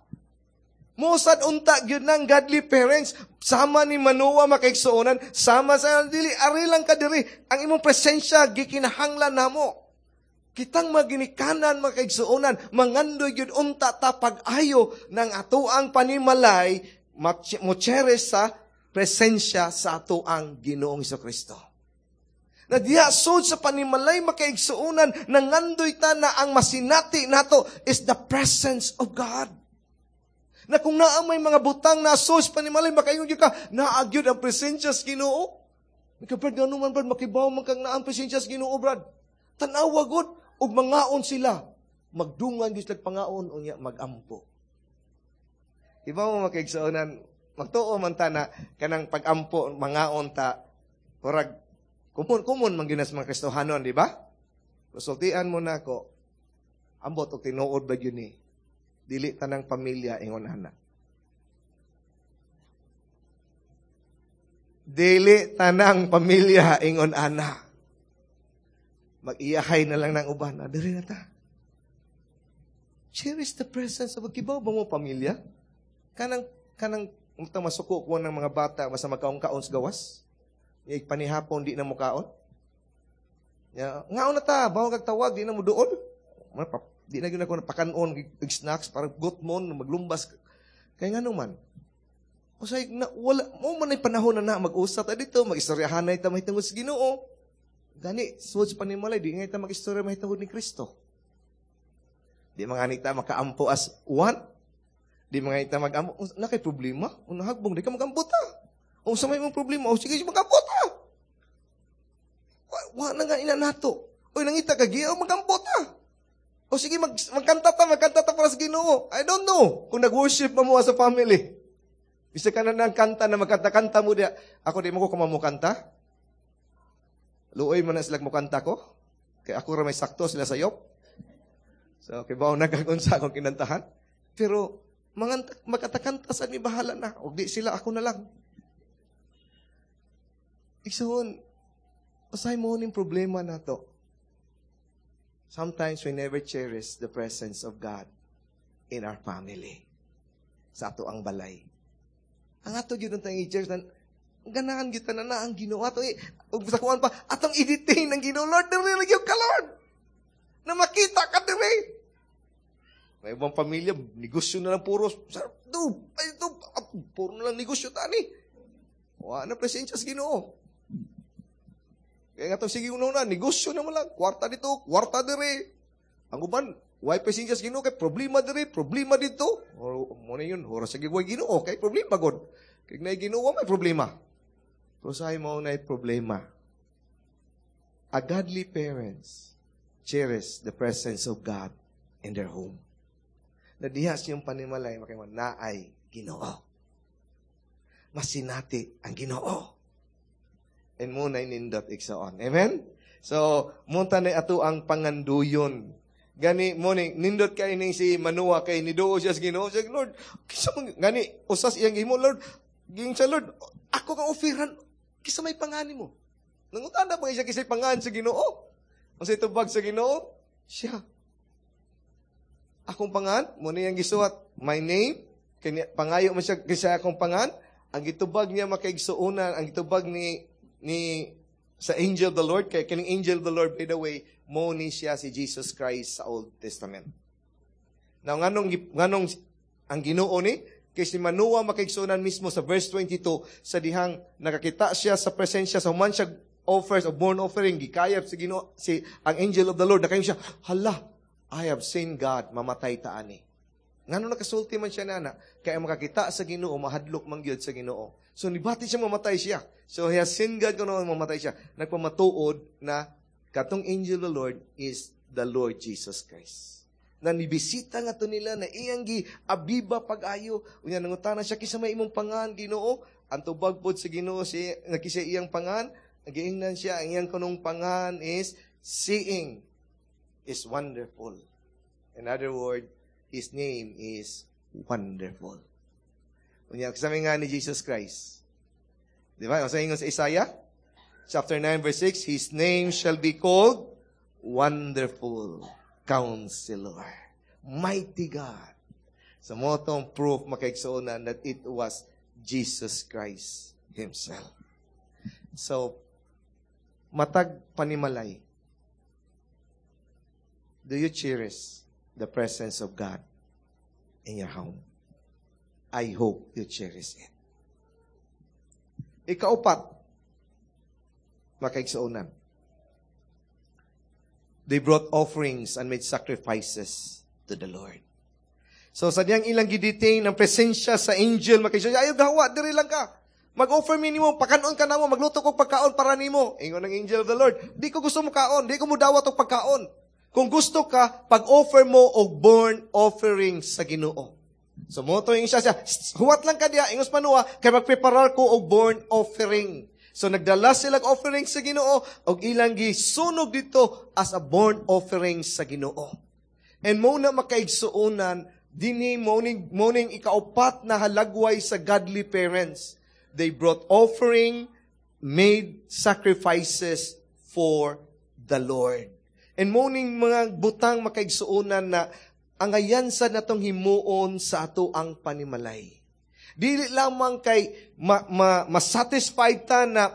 Mosad unta gyud ng godly parents sama ni Manoah, makaigsuonan, sama sa dili, ari lang ka diri, ang imong presensya gikinahanglan namo. Kitang maginikanan, makaigsuonan, mangandoy gyud unta ta pag-ayo ng ato ang panimalay mo cherish sa presensya sa ato ang Ginoong Kristo. Na diha sud sa panimalay, makaigsuonan, nangandoy ta na ang masinati nato is the presence of God. Na kung naa may mga butang na sos panimalay, makaingon gyud ka, naa gyud ang presensya sa Ginoo. Ika, "Brad, ngano man, Brad, makibaw man kang naa ang presensya sa Ginoo, Brad." Tan-awa gud ug mangaon sila. Magdungan gyud sila pangaon, unya magampo. Iba mo, makaigsuonan, magtuo man ta na kanang pagampo, mangaon ta, murag common common man gyud mga Kristohanon, di ba? Resultian mo na ako, ambot og tinuod ba gyud ni? Dili tanang pamilya ingon ana. Dili tanang pamilya ingon ana. Mag-iyahay na lang ng uban. Na, diri na ta. Cherish the presence of a kibaw ba mo pamilya? Kanang, kanang, unta masuko ko ng mga bata, basta magkaon-kaon sa gawas. Yung panihapon, di na mo kaon. Ya, ngaon na ta, bawag kag tawag, di na mo doon. Di na gyud ako napakanon og snacks para gutmon maglumbas. Kay ngano man? Usay na wala mo man ay panahon na na mag-usap ta dito, mag-istoryahanay ta mahitungod sa Ginoo. Gani, sud sa panimalay, di nga ta mag-istorya mahitungod ni Kristo. Di mga ta makaampo as one. Di mga ta mag-ampo. Na kay problema, unahagbong, di ka magampo ta. O sa may mong problema, o sige, magampo ta. Wa, wa na nga ina nato. Oy, nangita ka, giyaw, magampo ta. O sige, mag, magkanta ta, magkanta ta para sa Ginoo. I don't know kung nag-worship pa mo as a family. Bisa ka na ng kanta na magkanta-kanta mo diya. Ako di mo ko kamamukanta. Luoy man na sila mukanta ko. Kay ako ra may sakto sila sayop. So, kay bawo nagkagunsa akong kinantahan. Pero, mga magkatakanta sa mi bahala na. Og di sila, ako na lang. Igsoon, usay mo ning problema na to. Sometimes we never cherish the presence of God in our family. Sa ato ang balay. Ang ato gyud ang i-cherish na ganahan gyud na na ang Ginoo ato ug sa kuan pa atong i-detain ang Ginoo Lord diri ra gyud ka Lord. Na makita ka diri. May ibang pamilya, negosyo na lang puro. Do, ay do, puro na lang negosyo tani. Wa na presensya sa Ginoo. Kaya nga itong sige una negosyo na mo lang. Kwarta dito, kwarta diri. Ang uban, why presensya sa Ginoo kay problema diri, problema dito. Or mo na yun, ora sa way Ginoo kay problema god. Kay na Ginoo may problema. Pero sa mo na problema. A godly parents cherish the presence of God in their home. Na diha siyang panimalay, makaiman, naay Ginoo. Masinati ang Ginoo. And mo na nindot igsoon. Amen? So, munta na ato ang panganduyon. Gani mo ni nindot kay ning si Manua kay niduo siya sa Ginoo. Siya, Lord, kisa man gani usas iyang gihimo Lord. Ging siya Lord, ako kang offeran kisa may pangani mo. Nangutana pa siya kisay pangan sa Ginoo. Ang sa tubag sa Ginoo, siya. Akong pangan, mo na iyang gisuwat, my name, kanya, pangayo man siya kisa akong pangan, ang gitubag niya makaigsuonan, ang gitubag ni ni sa angel of the Lord, kay kining angel of the Lord, by the way, mo ni siya si Jesus Christ sa Old Testament. Now, nganong, nganong ang Ginoo ni, kay si Manoah makaigsuonan mismo sa verse twenty-two, sa dihang nakakita siya sa presensya, sa human siya offers of burnt offering, gikayap si Ginoo, si ang angel of the Lord, nakayon siya, hala, I have seen God, mamatay ta ani. Ngano nakasulti man siya nana, kaya makakita sa Ginoo, mahadlok man gyud sa Ginoo. So nibati siya mamatay siya. So he has seen God kuno mamatay siya. Nagpamatuod na katong angel of the Lord is the Lord Jesus Christ. Na nibisita nga to nila na iyang gi abiba pag-ayo. Unya nangutana siya kinsa may imong pangan Ginoo. Ang tubag pod sa Ginoo si nakisa iyang pangan, giingnan siya ang iyang kunong pangan is seeing is wonderful. In other words, His name is wonderful. Unya kasama nga ni Jesus Christ. Di ba? Sa ingon sa Isaiah, chapter nine, verse six, His name shall be called Wonderful Counselor, Mighty God. So mo tong proof makaigsuonan that it was Jesus Christ Himself. So, matag panimalay, do you cherish the presence of God in your home? I hope you cherish it. Ikaupat, makaigsuonan. They brought offerings and made sacrifices to the Lord. So, sa diyang ilang gidetain ang presensya sa angel, makaigsuonan, ayaw gawa, diri lang ka. Mag-offer mi nimo, pakanon ka namo, magluto kog pagkaon para nimo. Ingon ang angel of the Lord, di ko gusto mo kaon, di ko mo dawat og pagkaon. Kung gusto ka, pag-offer mo og burnt offering sa Ginoo. So mo to siya siya, huwat lang ka diya, ingos Manua, kay magpreparar ko og burnt offering. So nagdala sila og offering sa Ginoo og ilang gisunog dito as a burnt offering sa Ginoo. And mo na makaigsuonan dinhi morning morning ikaupat na halagway sa godly parents. They brought offering, made sacrifices for the Lord. And morning mga butang makaigsuonan na ang ayansa natong himuon sa ato ang panimalay. Dili lamang kay ma, ma, ma-satisfied ta na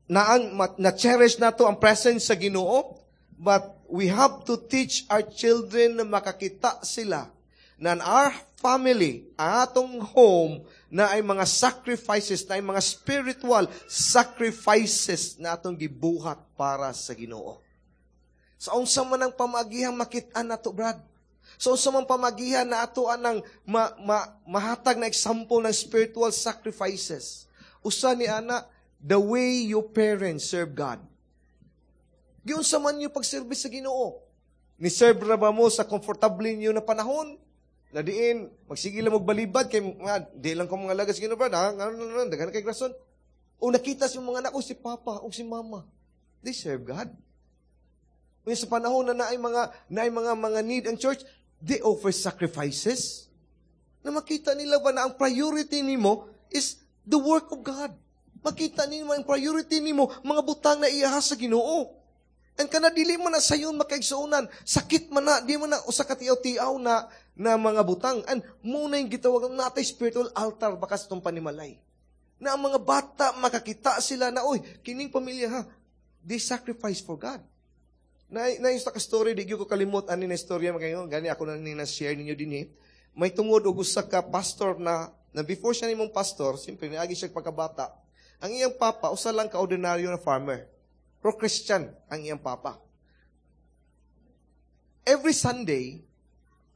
na, ma, na cherish nato ang presence sa Ginoo, but we have to teach our children na makakita sila na our family, ang atong home, na ay mga sacrifices, na ay mga spiritual sacrifices na atong gibuhat para sa Ginoo. Sa unsa man ang pamagihan makit-an nato, Brad? So unsa man pamagihan na ato anang ma, ma, mahatag na example ng spiritual sacrifices? Usa ni ana, the way your parents serve God. Giunsa man niyo pagservice sa Ginoo? Ni-serve ra ba mo sa komportable niyo na panahon? Na diin, magsige lang magbalibad, kay, nga, di lang ko mga lagas Ginoo, brad, ha? Nga, nga, nga, daghan kay rason. O nakita sa mga anak ko, si Papa o si Mama. They serve God. Kaya sa panahon na naay mga, naay mga, mga need ang church, they offer sacrifices. Na makita nila ba na ang priority nimo is the work of God. Makita nimo ang priority nimo, mga butang na iyaha sa Ginoo. And kana dili mo na sayon makaigsuonan, sakit man na, di mo na usa ka tiaw-tiaw na na mga butang. And muna yung gitawag natay spiritual altar baka sa itong panimalay. Na ang mga bata makakita sila na, oy, kining pamilya ha, they sacrifice for God. Na, na yung sa story, di ko kalimot ani na istorya, makaingon, gani ako na ni na-share ninyo din eh. May tungod og usa ka pastor na, na before siya nimong pastor, siyempre, niagi siya pagkabata, ang iyang papa, usa lang ka ordinaryo na farmer. Pro Christian ang iyang papa. Every Sunday,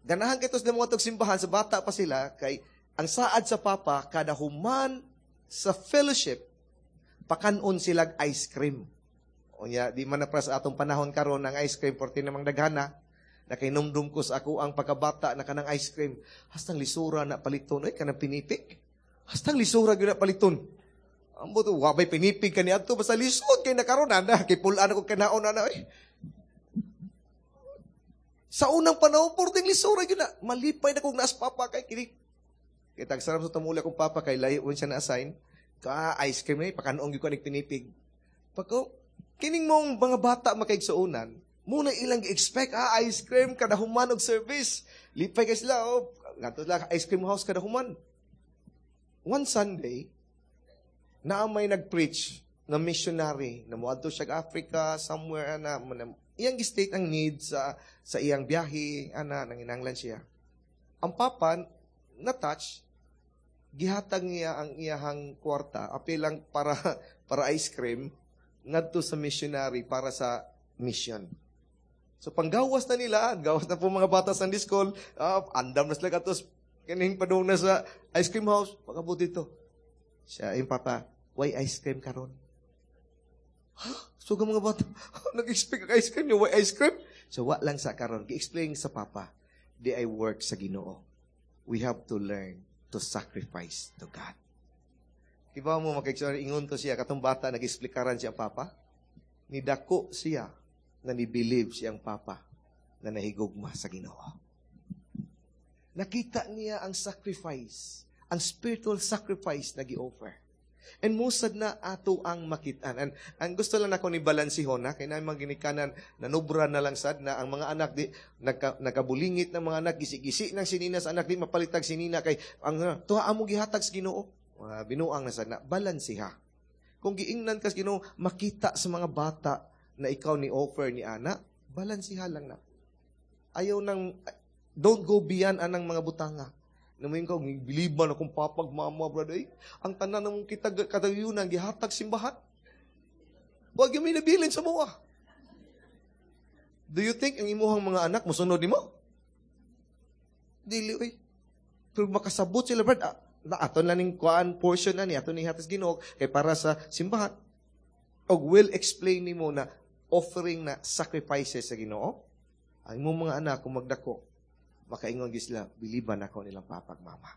ganahan kay sila mga simbahan sa bata pa sila, kay ang saad sa papa, kada human sa fellowship, pakanon sila ice cream. Unya, di man na pra sa atong panahon karon ang ice cream, porti namang daghana, nakainumdum ko sa ako ang pagkabata na kanang ice cream. Hastang lisura na paliton, ay kanang pinipig. Hastang lisura gyud na paliton. Ambot, wabay pinipig kani adto basta lisod kay nakaron ana, kay pulaan ako kanaon ana oy. Sa unang panahon, porting lisura gyud na. Malipay na kog naas papa kay kini. Kay tagsaram sa tumuli akong papa kay layo siya na-assign. Ka ice cream ni pakanoong gyud ko nig pinipig. Pagko kining mong mga bata makaigsuonan, muna ilang gi-expect ah ice cream kada human og service. Lipay kay sila oh, ngadto sila ice cream house kada human. One Sunday, naa may nag-preach na missionary na moadto siya Africa somewhere ana iyang gi-state ang need sa sa iyang biyahe ana nanginanglan siya. Ang papa na touch gihatag niya ang iyahang kwarta apil lang para para ice cream ngadto sa missionary para sa mission. So panggawas na nila, gawas na po mga bata sa Sunday school, uh, andam na sila katos kining padung na sa ice cream house, pagabot dito. Siya, yung papa, why ice cream karon? Ha? So mga bata, nag-expect ang ice cream niyo, why ice cream? So wa lang sa karon, gi-explain sa papa, di I work sa Ginoo. We have to learn to sacrifice to God. Iba mo makikita ingon to siya katong bata nag-explikaran siya ang papa. Nidako siya na ni-believe siyang papa na nahigugma sa Ginoo. Nakita niya ang sacrifice, ang spiritual sacrifice na gi-offer. And musad na ato ang makitaan. And ang gusto lang nako ni balansihon na kay na mga ginikanan nanubra na lang sad na ang mga anak di nagka, nagkabulingit ng mga anak gisi-gisi ng sinina sa anak di mapalitag sinina kay ang tuha amo gihatag sa Ginoo. Uh, binuang na sad na balansiha. Kung giingnan kas Ginoo makita sa mga bata na ikaw ni offer ni ana, balansiha lang na. Ayaw nang don't go beyond anang mga butanga. Namuin ka, biliban akong papag mama, brother. Eh, ang tanan ng kita katayunan, gihatag simbahan. Huwag yung may nabilin sa mua. Do you think ang imuhang mga anak musunod nimo? Dili, oy. Pero makasabot sila, brad. Ah, na aton lang ning kuan portion na ni aton ni hatas Ginoo kay para sa simbahan. Og will explain nimo na offering na sacrifices sa Ginoo. Ang imong mga anak kung magdako, makaingon gyud sila, biliban ako nilang papag mama.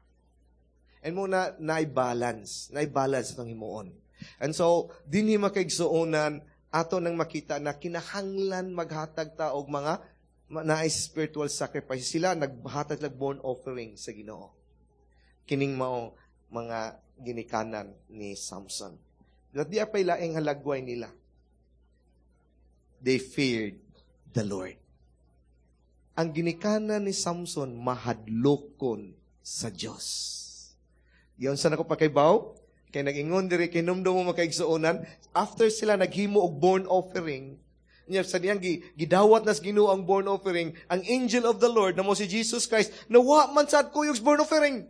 And muna, na-balance, na-balance itong himuon. And so, dinhi makaigsuonan, ato nang makita na kinahanglan maghatag ta og mga na spiritual sacrifice. Sila naghatag lag burnt offering sa Ginoo. Kining mao mga ginikanan ni Samson. But di apay laing halagway nila. They feared the Lord. Ang ginikanan ni Samson mahadlokon sa Dios. Giyon sa nako pakaybaw, kay nag-ingon diri kinumdum mo makaigsuonan, after sila naghimo og burnt offering, niya sa diyang gidawat nas Ginoo ang burnt offering, ang angel of the Lord na mo si Jesus Christ, nawa man sad kuyog sa burnt offering.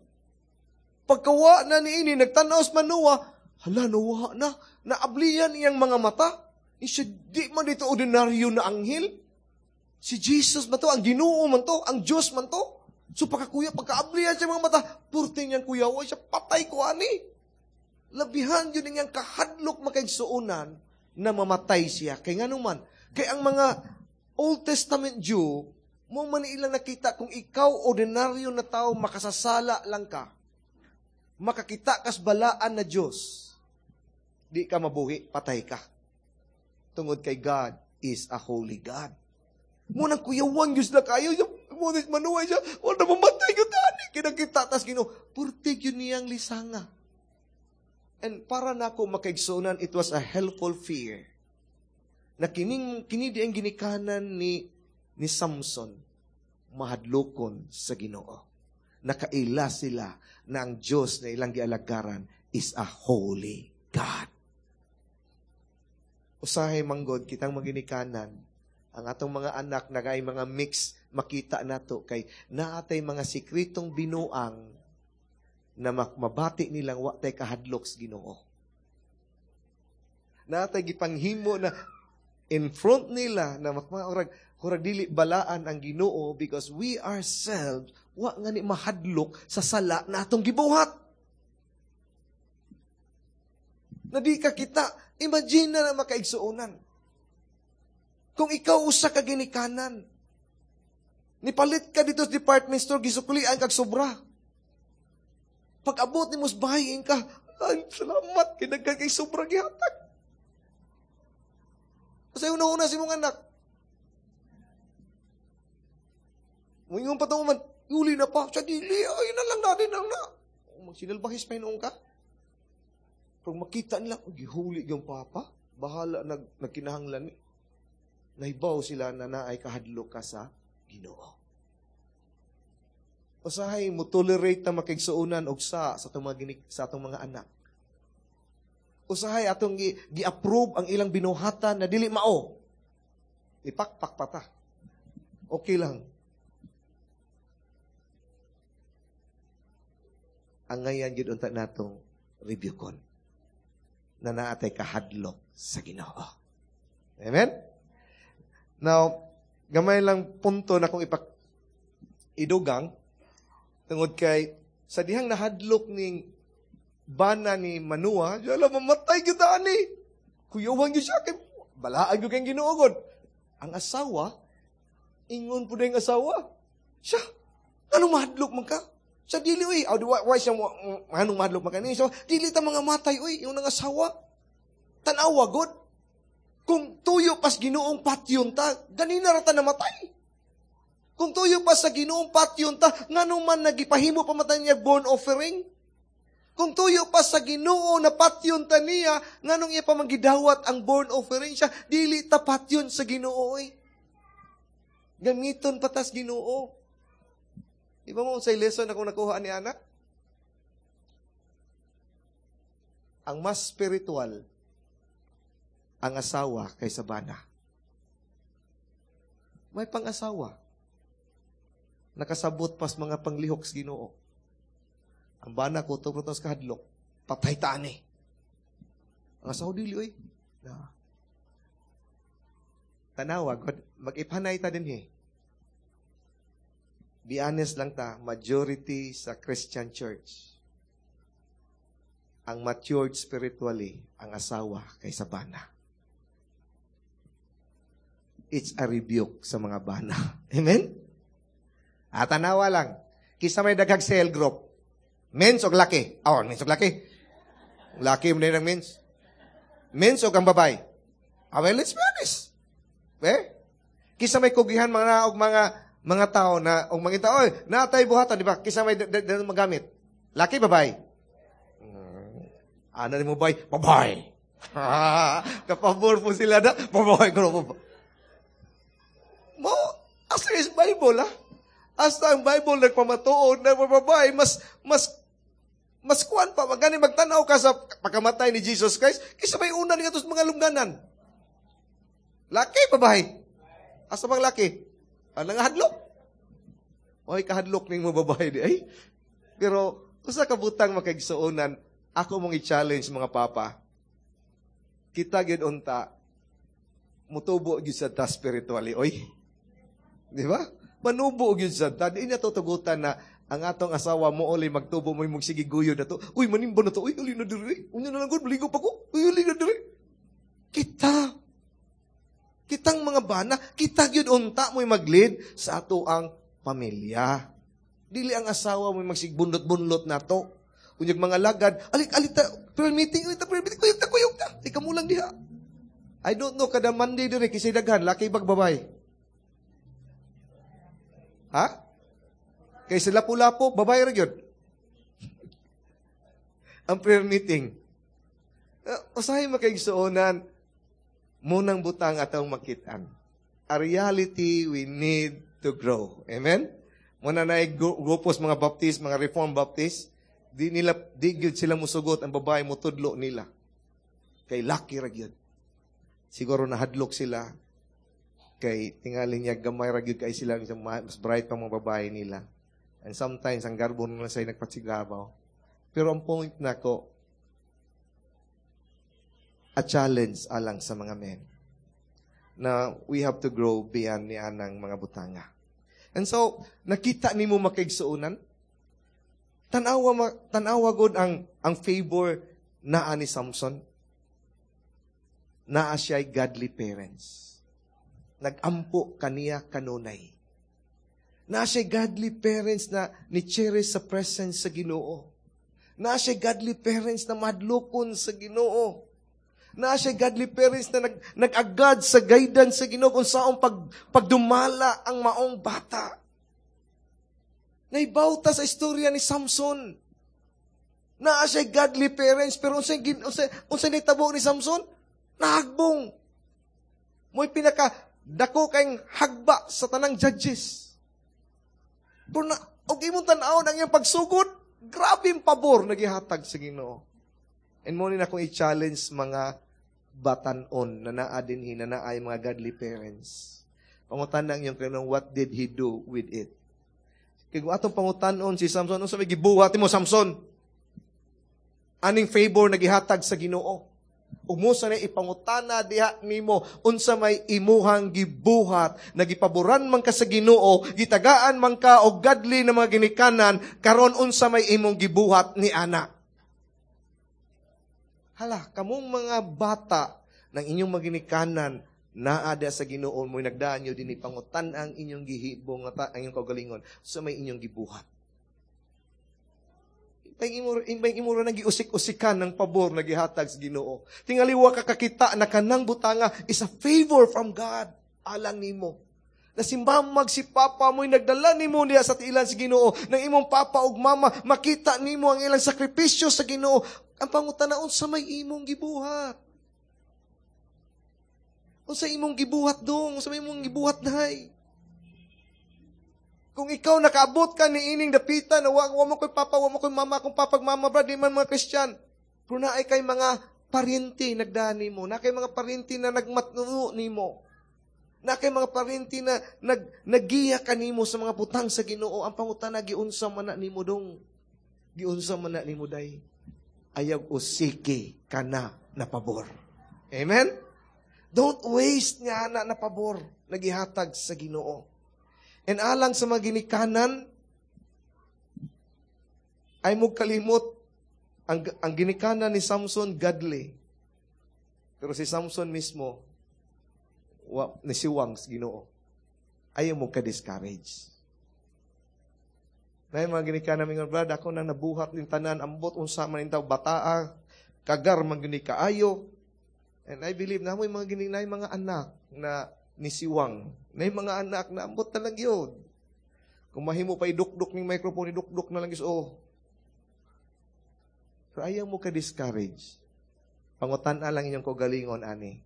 Pagkawa na niini nagtan-aw sa Manoah, hala nawa na, naabliyan iyang mga mata. Isya, di man dito ordinaryo na anghel. Si Jesus man to, ang Ginoo man to, ang Diyos man to. So pagkakuya, pagkaabliyan siya mga mata, purte niyang kuyawa siya, patay ko ani. Labihan yun niyang kahadlok makaigsuonan na mamatay siya. Kay nga naman, kay ang mga Old Testament Jew, Mo man ilang nakita kung ikaw ordinaryo na tao makasasala lang ka. Makakita kas balaan na Dios. Di ka mabuhi, patay ka. Tungod kay God is a holy God. Mo nang kuyawan gyud sila kayo, mo ni manuhay siya, wala na mamatay gyud ani kinakita tas Ginoo. Purtig yun niyang lisanga. And para nako makaigsuonan, it was a helpful fear. Na kining kini di ang ginikanan ni ni Samson mahadlokon sa Ginoo. Nakaila sila na ang Diyos na ilang gialagaran is a holy God. Usahay manggod kitang maginikanan ang atong mga anak na kay mga mix makita nato kay naatay mga sikretong binuang na mabati nilang wa tay kahadlok sa Ginoo. Naatay gipanghimo na in front nila na makmaurag hurag dili balaan ang Ginoo because we ourselves wa nga ni mahadlok sa sala na atong gibuhat. Na di ka kita, imagine na na makaigsuonan. Kung ikaw usa ka ginikanan, nipalit ka dito sa department store, gisuklian kag sobra. Pag abot ni mos bahay ka, ay, salamat, kinagkan kay sobra gihatag. Kasi una-una si mong anak. Muingon pa man, uli na pa, sa dili, ay na lang natin lang na. Magsinalbahis pa hinuong ka. Pero makita nila, oh, gihuli yung papa, bahala nag, nagkinahanglan ni. Nahibaw sila na naay kahadlok ka sa Ginoo. Usahay mo tolerate na makigsuonan og sa sa atong mga ginik, sa atong mga anak. Usahay atong gi, gi-approve ang ilang binuhatan na dili mao. Ipakpak pa ta. Okay lang. Ang ngayan gyud unta natong rebuke-on na naatay kahadlok sa Ginoo. Amen? Now, gamay lang punto na kung ipak idugang tungod kay sa dihang nahadlok ning bana ni Manua, yala mamatay gyud ani. Kuyawan gyud siya kay balaan gyud kay Ginoo gud. Ang asawa ingon pud ang asawa. Siya, anong mahadlok man ka? Sa dili uy, aw di why siya anong mahadlok man ka ni? So, dili ta mga matay uy, yung nang asawa. Tan-awa gud. Kung tuyo pas Ginoong patyon ta, ganina ra ta namatay. Kung tuyo pa sa Ginoong patyon ta, ngano man nagipahimo pa man niya born offering? Kung tuyo pa sa Ginoo na patyon ta niya, nganong iya pa manggidawat ang born offering siya, dili ta patyon sa Ginoo oy. Gamiton pa tas Ginoo. Di ba mo sa lesson akong nakuha ni anak? Ang mas spiritual ang asawa kaysa bana. May pang-asawa. Nakasabot pas mga panglihok sa Ginoo. Ang bana ko, tupro sa kahadlok, patay taan eh. Ang asawa dili, oy. Na. Tanawa, God, mag-ipanay ta din eh. Be honest lang ta, majority sa Christian church, ang matured spiritually, ang asawa kaysa bana. It's a rebuke sa mga bana. Amen? At tanawa lang, kisa may daghag cell group, mens og laki? Oh, mens og laki. Laki mo na ng mens. Mens og ang babae. Ah, well, let's be honest. Eh? Kisa may kugihan mga og mga mga tao na og mga tao, oy, naatay buhatan, di ba? Kisa may magamit. Laki, babae? Hmm. Ano ni mo bay? Babae. Kapabor po sila na. Babae ko po. Mo, asa is Bible, ah? Hasta ang Bible nagpamatuod na babae, mas, mas, mas kuan pa, magani magtanaw ka sa pagkamatay ni Jesus Christ, kaysa may una ni atos mga lungganan. Laki, babae. Asa bang laki? Ang nangahadlok. Oy, kahadlok ning mo babae di ay. Pero, usa ka butang makaigsuonan, ako mong i-challenge mga papa. Kita gyud unta, mutubo gyud sa ta spiritually, oy. Di ba? Manubo gyud sa ta. Di niya tutugutan na ang atong asawa mo uli magtubo mo imong sige guyo na to. Uy, manimba na to. Uy, uli na diri. Unya na lang gud, maligo pa ko. Uy, uli na diri. Kita. Kitang mga bana, kita gyud unta mo'y mag-lead sa ato ang pamilya. Dili ang asawa mo'y magsigbunlot-bunlot nato. Unyag mga lagad, alik alit ta, prayer meeting, alit ta, prayer meeting, kuyog ta, kuyog ta. Di kamulang diha. I don't know, kada Monday dire, kasi daghan, laki bag babay. Ha? Kay sila lapo-lapo, babay ra gyud. Ang prayer meeting. Uh, usahay makaigsuonan, munang butang atong makitaan. A reality we need to grow. Amen? Muna na grupos mga Baptist, mga Reformed Baptist, di nila di gyud sila musugot ang babae mutudlo nila. Kay laki ra gyud. Siguro nahadlok sila kay tingali niya gamay ra gyud kay sila mas bright pa mga babae nila. And sometimes ang garbo nila say nagpatsigabaw. Pero ang point nako a challenge alang sa mga men na we have to grow beyond ni anang mga butanga. And so, nakita nimo makaigsuonan, tanawa tanawa gud ang ang favor naa ni Samson. Naa siya'y godly parents. Nagampo kaniya kanunay. Naa siya'y godly parents na ni cherish sa presence sa Ginoo. Naa siya'y godly parents na madlukon sa Ginoo. Naa siya'y godly parents na nag, nag-agad sa guidance sa Ginoo kung saong pag, pagdumala ang maong bata. Naibawta sa istorya ni Samson. Naa siya'y godly parents, pero unsay, unsay, unsay nitabo ni Samson? Nahagbong. Mo'y pinaka dako kay hagba sa tanang judges. Pero na, og imong tan-awon ang iyang pagsugod, grabe pabor na gihatag sa Ginoo. And mo ni na akong i-challenge mga batanon na naa dinhi na naay mga godly parents. Pangutan ang iyong kanong what did he do with it? Kay kung atong pangutanon si Samson, unsa may gibuhat nimo Samson? Aning favor na gihatag sa Ginoo. Umusa na ipangutana diha nimo unsa may imuhang gibuhat na gipaboran man ka sa Ginoo, gitagaan man ka og godly na mga ginikanan karon unsa may imong gibuhat ni ana. Hala, kamong mga bata ng inyong mga ginikanan naa diha sa Ginoo mo nagdaan nyo dinhi pangutan ang inyong gihibong nga ang inyong kaugalingon sa may inyong gibuhat. Impay imura, impay imura nang giusik-usikan ng pabor na gihatag sa Ginoo. Tingali wa ka kakita na kanang butanga is a favor from God alang nimo. Na si mamag si papa mo'y nagdala nimo niya sa tiilan sa Ginoo, nang imong papa ug mama makita nimo ang ilang sakripisyo sa Ginoo. Ang pangutana unsa may imong gibuhat? Unsa imong gibuhat dong? Unsa may imong gibuhat day? Kung ikaw nakaabot ka ni ining dapita na wa, wa mo ko'y papa, wa mo ko'y mama, kung papag mama brad, di man mga Christian. Pero naay kay mga paryente nagdani mo, na kay mga paryente na nagmatnuo nimo. Na kay mga paryente na nag nagiya kanimo sa mga butang sa Ginoo. Ang pangutana giunsa man na nimo dong. Giunsa man na nimo day. Ayaw usiki kana na pabor. Amen? Don't waste nga na na pabor nagihatag sa Ginoo. And alang sa mga ginikanan, ay mo kalimot, ang, ang ginikanan ni Samson, godly. Pero si Samson mismo, wa, nisiwang sa Ginoo. Ayaw mo ka-discourage. Na mga ginikanan mga brad, ako na nabuhat ng tanan, ambot, unsa man intaw, bataa, kagar man gini kaayo. And I believe na mo mga gini na mga anak na nisiwang. Na yung mga anak na ambot na lang yun. Kung mahimo pa idukduk ng microphone, idukduk na lang yun. Oh. Pero ayaw mo ka-discourage. Pangutan lang inyong kaugalingon, ani.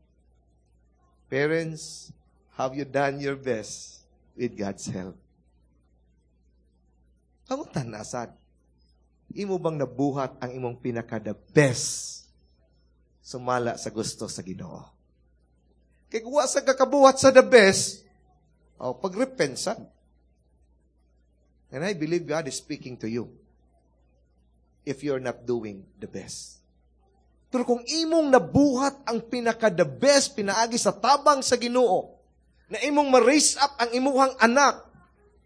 Parents, have you done your best with God's help? Pangutan na sad. Imo bang nabuhat ang imong pinaka the best sumala sa gusto sa Ginoo? Kay kung wa sa kakabuhat sa the best, oh, pag-repent sad. And I believe God is speaking to you if you're not doing the best. Pero kung imong nabuhat ang pinaka the best, pinaagi sa tabang sa Ginoo, na imong ma-raise up ang imuhang anak,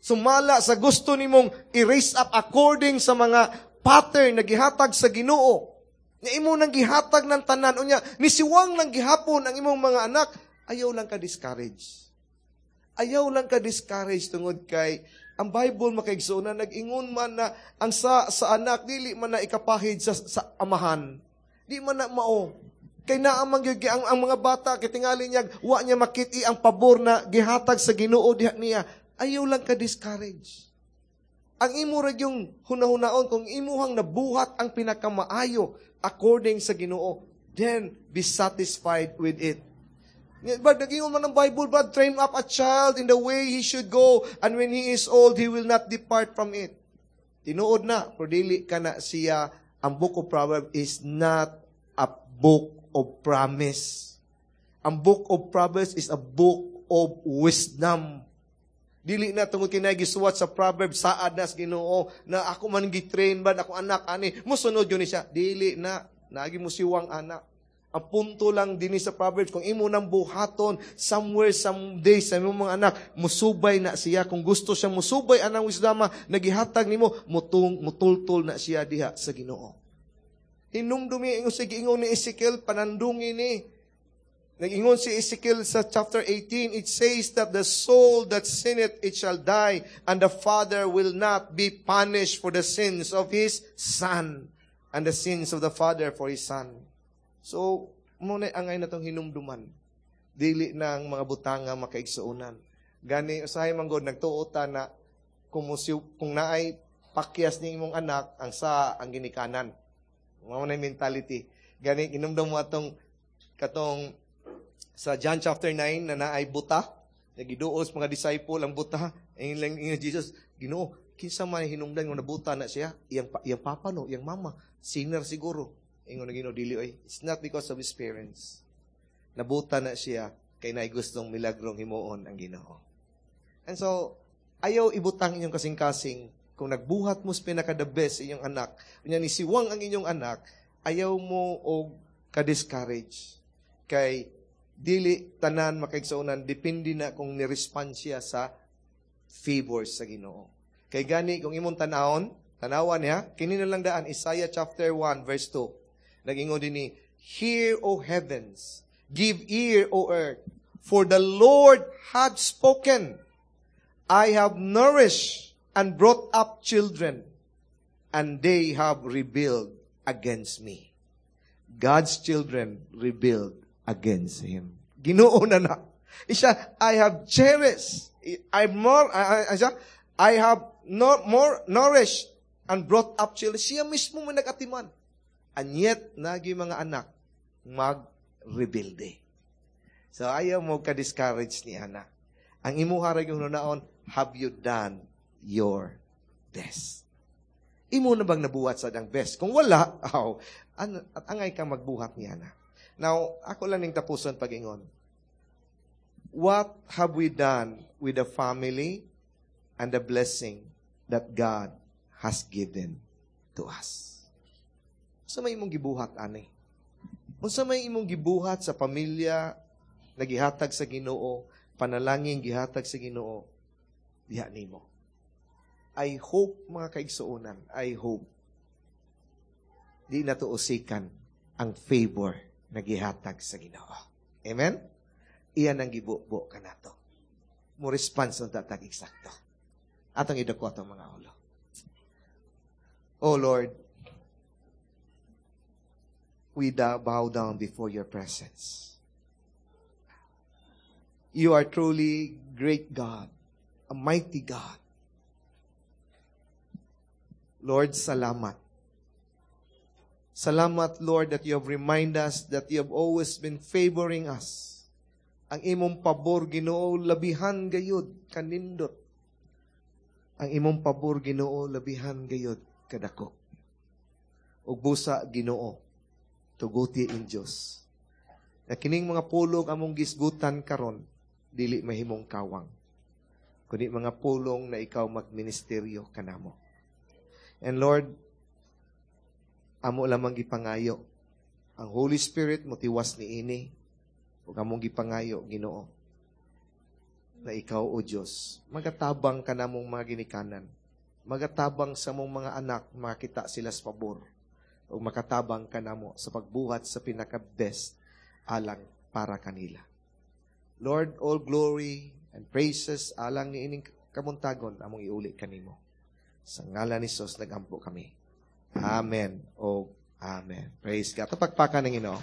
sumala sa gusto nimong i-raise up according sa mga pattern na gihatag sa Ginoo, na imo nang gihatag ng tanan, unya, nisiwang nang gihapon ang imong mga anak, Ayaw lang ka discourage. Ayaw lang ka discourage tungod kay ang Bible, makaigsuonan, nag-ingon man na ang sa sa anak dili man na ikapahid sa, sa amahan. Di man na mao. Kay naa man gyud ang, ang mga bata kay tingali niya wa niya makit-i ang pabor na gihatag sa Ginoo diha niya. Ayaw lang ka discourage. Ang imo ra yung hunahunaon kung imuhang nabuhat ang pinakamaayo according sa Ginoo, then be satisfied with it. But nag-ingon man ang Bible, but train up a child in the way he should go, and when he is old, he will not depart from it. Tinuod na, pero dili ka na siya, ang Book of Proverbs is not a book of promise. Ang Book of Proverbs is a book of wisdom. Dili na tungod kay gisuwat sa Proverbs, saad na sa Ginoo na ako man gi-train ba ako anak ani musunod yun ni siya. Dili na naagi mo siwang anak. Ang punto lang dinhi sa Proverbs, kung imo nang buhaton, somewhere, someday, sa imong mga anak, musubay na siya. Kung gusto siya musubay anang wisdom, nagihatag nimo, mutung, mutultol na siya diha sa Ginoo. Hinumdumi, ingon sa giingon ni Ezekiel, panandungi ni. Nag-ingon si Ezekiel sa chapter eighteen, it says that the soul that sinneth, it shall die, and the father will not be punished for the sins of his son, and the sins of the father for his son. So, muna angay na itong hinumduman. Dili na ang mga butanga, makaigsuonan. Gani, usahay man god, nagtuo ta na kung, musiw, kung naay pakyas ni imong anak, ang sa ang ginikanan. Mao na mentality. Gani, inumdum mo atong katong sa John chapter nine na naay buta, nagiduos mga disciple ang buta, ingon lang ingon Jesus, "Ginoo, kinsa man hinungdan nga nabuta na siya? Iyang iyang papa no, iyang mama, sinner siguro." Ingon na Ginoo, "Dili oy. It's not because of his parents. Nabuta na siya kay naay gustong milagrong himuon ang Ginoo." And so, ayaw ibutang inyong kasing-kasing kung nagbuhat mo sa pinaka the best inyong anak, unya ni siwang ang inyong anak, ayaw mo og ka-discourage. Kay dili tanan, makaigsuonan, depende na kung ni-respond siya sa favors sa Ginoo. Kay gani kung imong tanawon, tanawan niya, kini na lang daan Isaiah chapter one verse two. Nag-ingon dinhi, "Hear, O heavens, give ear, O earth, for the Lord hath spoken. I have nourished and brought up children, and they have rebelled against me." God's children rebelled against Him. Ginoo na na. Isa, "I have cherished, I more, I, I, I have no, more nourished and brought up children." Siya mismo mo nag-atiman. And yet, nagi mga anak, mag-rebelde. So, ayaw mo ka-discourage ni anak. Ang imuha ra yung naon, have you done your best? Imo na bang nabuhat sa ang best? Kung wala, aw, an, at angay kang magbuhat niya na. Now, ako lang ning tapuson pag-ingon. What have we done with the family and the blessing that God has given to us? Unsa may imong gibuhat ani? Unsa may imong gibuhat sa pamilya na gihatag sa Ginoo, panalangin gihatag sa Ginoo diha nimo? I hope, mga kaigsuonan, I hope di na to usikan ang favor na gihatag sa Ginoo. Amen? Iyan ang gibubo kanato. Mo response unta tag eksakto. Atong idako atong mga ulo. Oh Lord, we bow down before your presence. You are truly great God, a mighty God. Lord, salamat. Salamat, Lord, that you have reminded us that you have always been favoring us. Ang imong pabor, Ginoo, labihan gayud kanindot. Ang imong pabor, Ginoo, labihan gayud kadako. Ug busa, Ginoo, tuguti in Dios na kining mga pulong among gisgutan karon dili mahimong kawang, kundi mga pulong na ikaw magministeryo kanamo. And Lord, amo lamang gipangayo ang Holy Spirit motiwas ni ini ug among gipangayo, Ginoo, na ikaw, O Dios, magatabang kanamong mga ginikanan, magatabang sa mong mga anak makita sila sa pabor ug makatabang kanamo sa pagbuhat sa pinaka best alang para kanila. Lord, all glory and praises alang ni ining kabuntagon among iuli kanimo. Sa ngalan ni Jesus nagampo kami. Amen. O Amen. Praise God. Tapakpakan ng Ginoo.